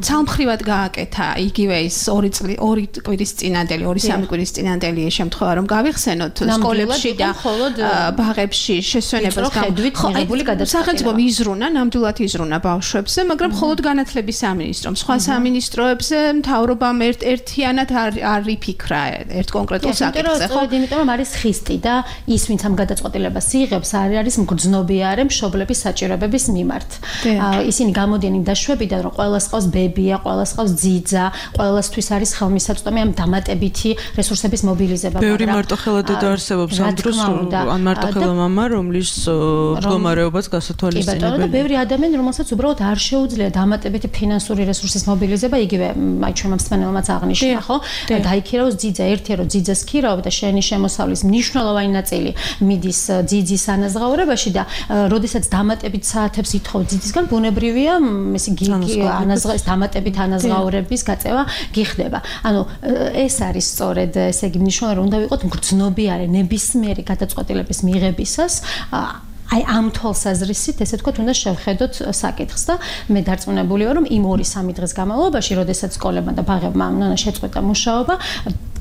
[SPEAKER 5] ცალმხრივად გააკეთა იგივე ის ორი წელი, ორი კვირის წინანდელი, ორი სამი კვირის წინანდელი შემთხვევა, რომ გავიხსენოთ სკოლებში და ბაღებში შესვენებას
[SPEAKER 11] გამიღებული გადაწყვეტილება.
[SPEAKER 5] სახელმწიფო იზრუნა, ნამდვილად იზრუნა ბავშვებზე, მაგრამ მხოლოდ განათლების სამინისტრომ, სხვა სამინისტროებზე მთავრობამ ერთ-ერთიანად არ არ იფიქრა ერთ კონკრეტულ საკითხზე, ხო?
[SPEAKER 11] იმიტომ რომ არის ხისტი და ის, ვინც ამ გადაწყვეტილებას იღებს, არის მგრძნობიარე მშობლების საჭიროებების მიმართ. ისინი გამოდიან იმ დაშვებიდან, რომ ყველას ყავს ბებია, ყველას ყავს ძიძა, ყველასთვის არის ხელმისაწვდომი ამ დამატებითი რესურსების მობილიზება.
[SPEAKER 12] ბევრი მარტოხელა დედა არსებობს ამ დროს, ან მარტოხელა მამა, რომლის მდგომარეობაც გასათვალისწინებელია.
[SPEAKER 11] და ბევრი ადამიანი, რომელსაც უბრალოდ არ შეუძლია დამატებითი ფინანსური რესურსის მობილიზება, იგივე აი ჩვენმა მსმენელმაც აღნიშნა, ხო? დაიქირავოს ძიძა, ერთია რომ ძიძას ქირავ და შენი შემოსავლის მნიშვნელოვანი ნაწილი მიდის ძიძის ანაზღაურებაში და როდესაც დამატებით საათებს ითხოვ ძიძისგან, ბუნებრივია ეს იგი ანაზღაურების დამატებით ანაზღაურების გაწევა გიხდება. ანუ ეს არის სწორედ ესე იგი მნიშვნელოვანი, რომ უნდა ვიყოთ მგრძნობიარე ნებისმიერი გადაწყვეტილების მიღებისას აი ამ თვალსაზრისით ესე ვთქვათ, უნდა შევხედოთ საკითხს და მე დარწმუნებული ვარ, რომ იმ ორი სამი დღის განმავლობაში, როდესაც სკოლებმა და ბაღებმა უნდა შეწყვეტა მუშაობა,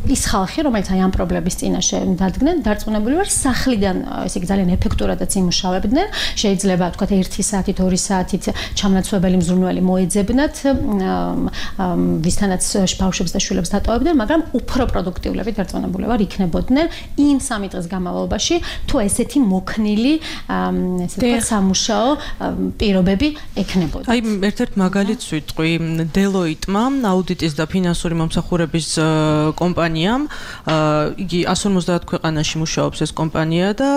[SPEAKER 11] ის ხალხი, რომელიც აი ამ პრობლემის წინაშე დადგნენ, დარწმუნებული ვარ, სახლიდან ესე იგი ძალიან ეფექტურადაც იმუშავებდნენ. შეიძლება ვთქვათ ერთი საათით, ორი საათით ჩამნაცვლებელი მზრუნველი მოეძებნათ, ვისთანაც ბავშვებს და შვილებს დატოვებდნენ, მაგრამ უფრო პროდუქტიულები დარწმუნებული ვარ იქნებოდნენ იმ სამი დღის განმავლობაში, თუ ესეთი მოქნილი ესე ვთქვათ სამუშაო პირობები ექნებოდა.
[SPEAKER 12] აი ერთ-ერთ მაგალითს ვიტყვი, Deloitte-მა აუდიტის და ფინანსური მომსახურების კომპანია იგი εκατს ორმოცდაათ ქვეყანაში მუშაობს ეს კომპანია და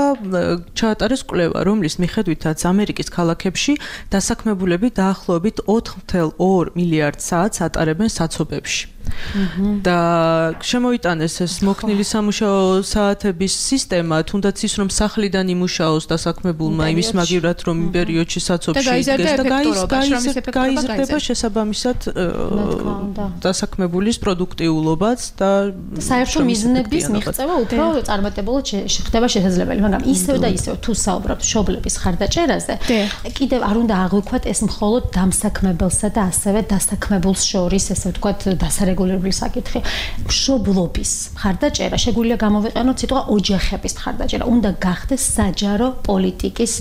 [SPEAKER 12] ჩაატარეს კვლევა, რომლის მიხედვითაც ამერიკის ქალაქებში დასაქმებულები დაახლოებით ოთხ ათას ორი მილიარდ საათს ატარებენ საცობებში. და შემოიტანეს ეს მოქნილი სამუშაო საათების სისტემა, თუნდაც ის რომ სახლიდან იმუშაოს დასაქმებულმა იმის მაგივრად რომ იმ პერიოდში საცობში იდგეს და გაიზრდება შესაბამისად დასაქმებულის პროდუქტიულობაც და
[SPEAKER 11] საერთო მიზნების მიღწევა უფრო წარმატებულად ხდება შესაძლებელი, მაგრამ ისევ და ისევ თუ საუბრობთ მშობლების ხარდაჭერაზე, კიდევ არ უნდა აღვიქვათ ეს მხოლოდ დამსაქმებელსა და ასევე დასაქმებულს შორის, ესე ვთქვათ, დასარეგულირებული საკითხი. მშობლობის ხარდაჭერა შეგვიძლია გამოვიყენოთ სიტყვა ოჯახების ხარდაჭერა, უნდა გახდეს საჯარო პოლიტიკის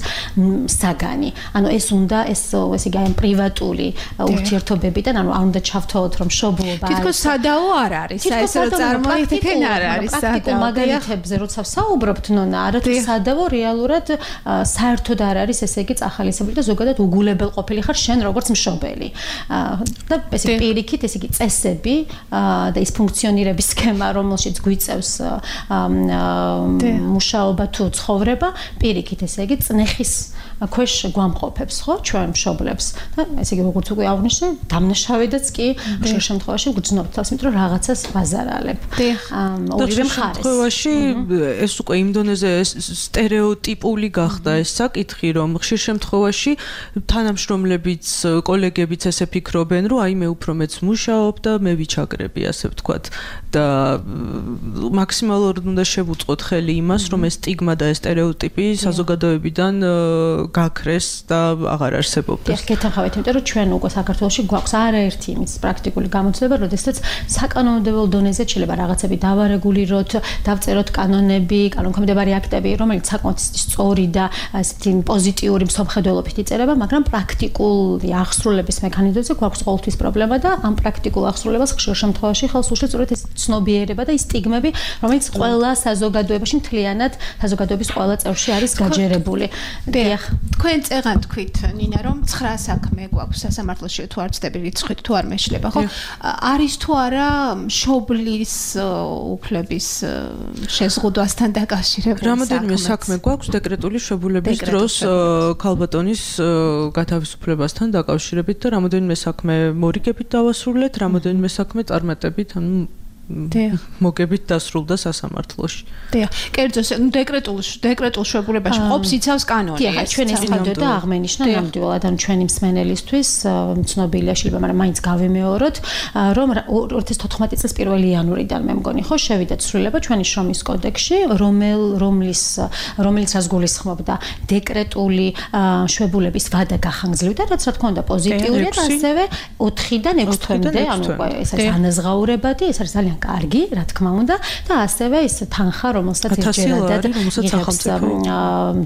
[SPEAKER 11] საგანი. ანუ ეს უნდა ეს ესე იგი პრივატული ურთიერთობებიდან, ანუ არ უნდა ჩავთვალოთ რომ მშობლობა
[SPEAKER 5] თითქოს სადაო არ არის, აი ეს რომ წარმოიდგენ არ არის
[SPEAKER 11] სადაო. მაგალითებზე როცა ვსაუბრობთ, ნონა, არათუ სადაო რეალურად საერთოდ არ არის, ესე იგი წახალისებული და ზოგადად უგულებელ ყოფილი ხარ შენ როგორც მშობელი. და ესე პირიქით, ესე იგი წესები და ის ფუნქციონირების სქემა, რომელშიც გვიწევს მუშაობა თუ ცხოვრება, პირიქით ესე იგი წნეხის ქვეშ გვამყოფებს, ხო, ჩვენ მშობლებს. და ესე იგი როგორც უკვე აღნიშნე, დამნაშავედაც კი ხშირ შემთხვევაში გძნობთ თავს, იმიტომ რომ რაღაცას ბაზარალებ. ორივე მხარეს.
[SPEAKER 12] შემთხვევაში ეს უკვე იმ დონეზე სტერეოტიპული გახდა ეს საკითხი, რომ ხშირ შემთხვევაში თანამშრომლებიც, კოლეგებიც ესე ფიქრობენ, რომ აი მე უფრო მეც მუშაობ და მე ვიჩაგრები, ასე ვთქვათ, და მაქსიმალურად უნდა შევუწყოთ ხელი იმას, რომ ეს სტიგმა და ეს სტერეოტიპი საზოგადოებიდან გაქრეს და აღარ არსებობდეს.
[SPEAKER 11] გეთანხმებით, იმიტომ რომ ჩვენ უკვე საქართველოში გვაქვს არაერთი იმის პრაქტიკული გამოცდილება, როდესაც საკანონმდებლო დონეზე შეიძლება რაღაცები დავარეგულიროთ, დავწეროთ კანონები, კანონქვემდებარე აქტები, რომელიც საკმაოდ სწორი და ასეთი პოზიტიური მსოფლმხედველობით იწერება, მაგრამ პრაქტიკული აღსრულების მექანიზმებზე გვაქვს ყოველთვის პრობლემა და ამ პრაქტიკულ აღსრულებას ხშირ შემთხვევაში ხელს უშლის სწორედ ეს ცნობიერება და ის სტიგმები, რომელიც ყველა საზოგადოებაში მთლიანად საზოგადოების ყველა წევრში არის გაჯერებული.
[SPEAKER 5] დიახ, თქვენ წეღან თქვით, ნინა, რომ ცხრა საქმე გვაქვს სასამართლოში, თუ არ ვწდები რიცხვით, თუ არ მეშლება, ხო? არის თუ არა მშობლის უფლების შეზღუდვასთან დაკავშირებული საქმე?
[SPEAKER 12] რამოდენიმე საქმე გვაქვს დეკრეტული შვებულების დროს ქალბატონის გათავისუფლებასთან დაკავშირებით და რამოდენიმე საქმე მორიგებით დავასრულეთ, რამოდენიმე საქმე წარმატებით, ანუ მოგებით დასრულდა სასამართლოში.
[SPEAKER 5] დიახ, კერძო დეკრეტულ დეკრეტულ შვებულებაში ყოფს იცავს კანონი.
[SPEAKER 11] დიახ, ჩვენ ეს თავდეთ და აღმენიშნა ნამდვილად, ანუ ჩვენი მსმენელისთვის ცნობილია შეიძლება, მაგრამ მაინც გავიმეოროთ, რომ ორი ათას თოთხმეტი წლის პირველი იანვრიდან მე მგონი, ხო, შევიდა ცვლილება ჩვენი შრომის კოდექსში, რომელ რომლის რომელიც გულისხმობდა დეკრეტული შვებულების ვადა გახანგრძლივდა, რაც რა თქმა უნდა პოზიტიურია და ასევე ოთხიდან ექვს თვემდე, ანუ ეს არის ანაზღაურებადი, ეს არის ძალიან კარგი, რა თქმა უნდა, და ასევე ის თანხა, რომელსაც ერთჯერადად იღებს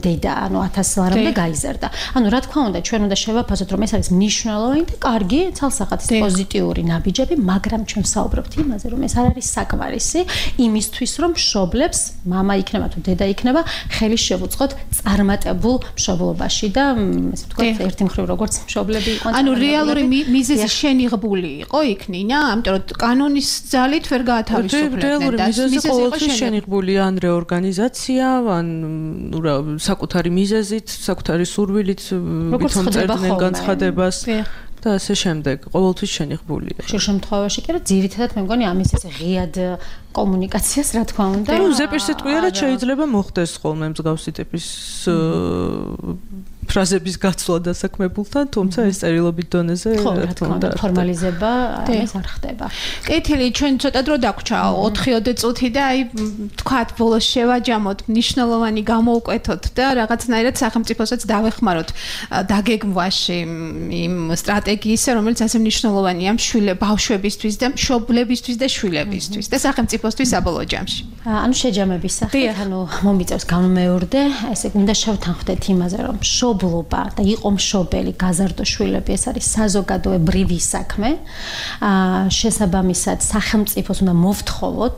[SPEAKER 11] დედა, ანუ ათას ლარამდე გაიზარდა. ანუ რა თქმა უნდა, ჩვენ უნდა შევაფასოთ, რომ ეს არის მნიშვნელოვანი და კარგი, ცალსახად პოზიტიური ნაბიჯები, მაგრამ ჩვენ ვსაუბრობთ იმაზე, რომ ეს არ არის საკმარისი იმისთვის, რომ მშობლებს, მამა იქნება თუ დედა იქნება, ხელი შევუწყოთ წარმატებულ მშობლობაში და ესე ვთქვათ, ერთი მხრივ როგორც მშობლები იყვნენ.
[SPEAKER 5] ანუ რეალური მიზეზი შენიღბული იყო იქ, ნინა, ამიტომ რომ კანონის ძალით ვერ გაათავისუფლებდნენ
[SPEAKER 12] და მიზეზი ყოველთვის შენიღბულია ან რეორგანიზაცია, ან რა საკუთარი მიზეზით, საკუთარი სურვილით ვითომ წერდნენ განცხადებას და ასე შემდეგ, ყოველთვის შენიღბულია.
[SPEAKER 11] ხშირ შემთხვევაში კი რა ძირითადად მე მგონი ამის ეს ღიად კომუნიკაციას რა თქმა უნდა.
[SPEAKER 12] ნუ ზეპირსიტყვიერად შეიძლება მოხდეს ხოლმე მსგავსი ტიპის ფრაზების გაცვლა დასაქმებულთან, თუმცა ეს წერილობით დონეზე
[SPEAKER 11] ხო, რა თქმა უნდა, ფორმალიზება ეს არ ხდება.
[SPEAKER 5] კეთილი, ჩვენ ცოტა დრო დაგვრჩა, ოთხი-ოცი წუთი და აი თქვათ ბოლოს შევაჯამოთ, მნიშვნელოვანი გამოვკვეთოთ და რაღაცნაირად სახელმწიფოსაც დავეხმაროთ დაგეგმვაში იმ სტრატეგიისა, რომელიც ასე მნიშვნელოვანია მშვილე ბავშვებისთვის და მშობლებისთვის და შვილებისთვის და სახელმწიფოსთვის საბოლოო ჯამში.
[SPEAKER 11] ანუ შეჯამების სახით, ანუ მომიწევს გამომეორდე, ესე უნდა შევთანხმდეთ იმაზე, რომ მშობლობა და იყო მშობელი გაზარდო შვილები, ეს არის საზოგადოებრივი საქმე. აა შესაბამისად სახელმწიფოს უნდა მოვთხოვოთ,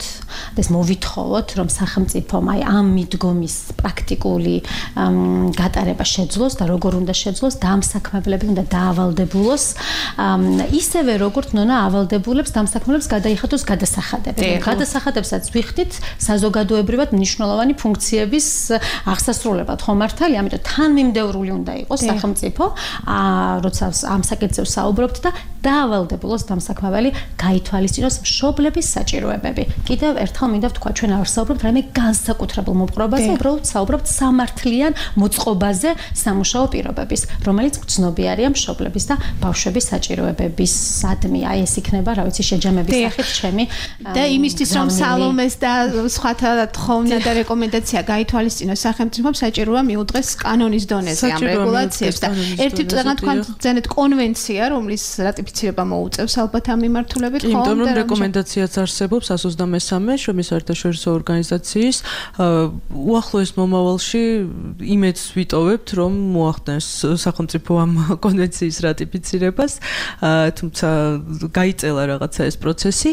[SPEAKER 11] ეს მოვითხოვოთ, რომ სახელმწიფომ აი ამ მიდგომის პრაქტიკული გატარება შეძლოს და როგორ უნდა შეძლოს და ამ საქმებლები უნდა დაავალდებულოს, ისევე როგორც ნონა ავალდებულებს დამსაქმებლებს გადაიხადოს გადასახადებები. გადასახადებსაც ვიხდით საზოგადოებრივად მნიშვნელოვანი ფუნქციების აღსასრულებლად, ხო მართალია? ამიტომ თანმიმდევრული უნდა იყოს სახელმწიფო, როცა ამ საკითხებს საუბრობთ და დაავალდებულოს დამსაქმებელი გაითვალისწინოს მშობლების საჭიროებები. კიდევ ერთხელ მინდა ვთქვა, ჩვენ არ საუბრობთ რაიმე განსაკუთრებულ მოპყრობაზე, უბრალოდ საუბრობთ სამართლიან მოწყობაზე სამუშაო პირობების, რომელიც გრძნობიარეა მშობლების და ბავშვების საჭიროებებისადმი. აი ეს იქნება, რა ვიცი, შეჯამების სახით ჩემი
[SPEAKER 5] და იმისთვის რომ სალომეს და სხვათა თხოვნა და რეკომენდაცია გაითვალისწინოს სახელმწიფომ საჭიროა მიუძღეს კანონის დონეზე ამ რეგულაციებს და ერთი წეგნა თქვენ ძენეთ კონვენცია, რომლის რატიფიცირება მოუწევს ალბათ ამ მიმართულებით, ხო?
[SPEAKER 12] იმიტომ რომ რეკომენდაციაც არსებობს ას ოცდამესამე შრომის საერთაშორისო ორგანიზაციის უახლოეს მომავალში იმედს ვიტოვებთ, რომ მოახდენს სახელმწიფო ამ კონვენციის რატიფიცირებას, თუმცა გაიწელა რაღაცა ეს პროცესი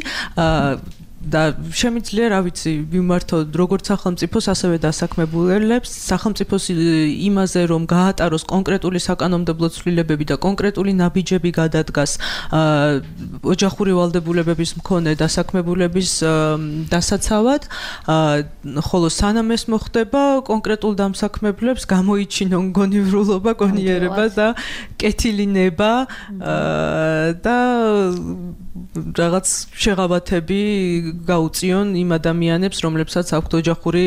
[SPEAKER 12] და შემიძლია, რა ვიცი, ვიმართოთ როგორც სახელმწიფოს, ასევე დასაქმებულებს, სახელმწიფოს იმაზე, რომ გაატაროს კონკრეტული საკანონმდებლო ცვლილებები და კონკრეტული ნაბიჯები გადადგას ოჯახური ვალდებულებების მქონე დასაქმებულების დასაცავად, ხოლო სანამ ეს მოხდება, კონკრეტულ დამსაქმებლებს გამოიჩინონ გონივრულობა, გონიერება და კეთილი ნება და რაღაც შეღავათები გაუწიონ იმ ადამიანებს, რომლებსაც აქვთ ოჯახური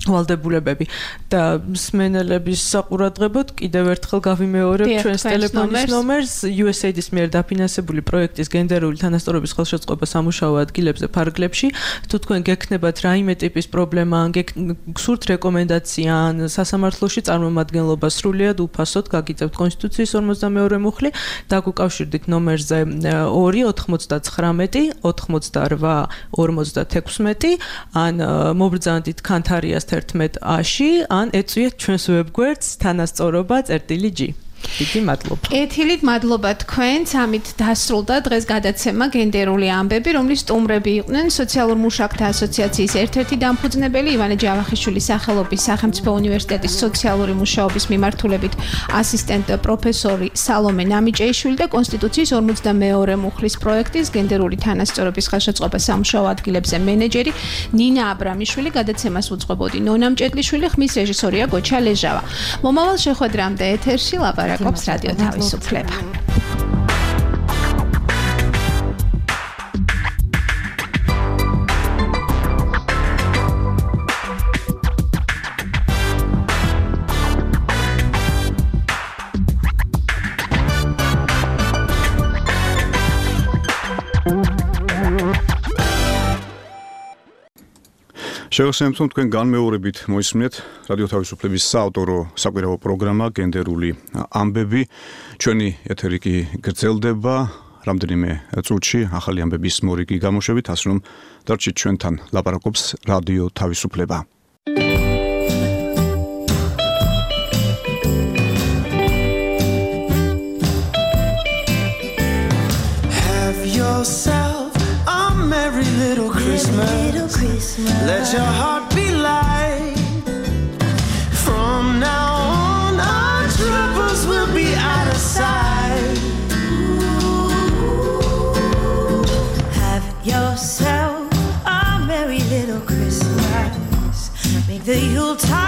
[SPEAKER 12] ვალდებულებები და მსმენელების საყურადღებოდ კიდევ ერთხელ გავიმეორებ ჩვენს ტელეფონის ნომერს იუ ეს ეი-ის მიერ დაფინანსებული პროექტის გენდერული თანასწორობის ხელშეწყობა სამუშაო ადგილებზე ფარგლებში. თუ თქვენ გექნებათ რაიმე ტიპის პრობლემა, ან გსურთ რეკომენდაცია, ან სასამართლოში წარმომადგენლობა, სრულიად უფასოდ გაგიწევთ კონსტიტუციის ორმოცდამეორე მუხლი, დაგუკავშირდით ნომერზე ორი ოთხმოცდაცხრამეტი ოთხმოცდარვა ორმოცდათექვსმეტი, ან მობრძანდით ქანთარიას ერთმეტ აში, ან ეწვიეთ ჩვენს ვებგვერდს თანასწორობა წერტილი ჯი. დიდი მადლობა.
[SPEAKER 5] კეთილით მადლობა თქვენს. ამით დასრულდა დღეს გადაცემა გენდერული ამბები, რომლის სტუმრები იყვნენ სოციალურ მუშაკთა ასოციაციის ერთ-ერთი დამფუძნებელი ივანე ჯავახიშვილის სახელობის სახელმწიფო უნივერსიტეტის სოციალური მუშაობის მიმართულებით ასისტენტ პროფესორი სალომე ნამიჭეიშვილი და კონსტიტუციის ორმოცდამეორე მუხლის პროექტის გენდერული თანასწორობის ხელშეწყობა სამუშაო ადგილებზე მენეჯერი ნინა აბრამიშვილი. გადაცემას უძღვებოდი ნონა მჭედლიშვილი, ხმის რეჟისორია გოჩა ლეჟავა. მომავალ შეხვედრამდე ეთერში ლაპარაკობს რადიო თავისუფლება.
[SPEAKER 2] შევახსენებთ, რომ თქვენ განმეორებით მოისმინეთ რადიო თავისუფლების საავტორო საკვირაო პროგრამა გენდერული ამბები. ჩვენი ეთერი კი გრძელდება რამდენიმე წუთში ახალი ამბების მორიგი გამოშვებით, ასე რომ დარჩით ჩვენთან. ლაპარაკობს რადიო თავისუფლება.
[SPEAKER 10] Have yourself a merry little Christmas. Little Christmas. Let your heart be light. From now on, our troubles will be out of sight. Have yourself a merry little Christmas. Make the Yuletide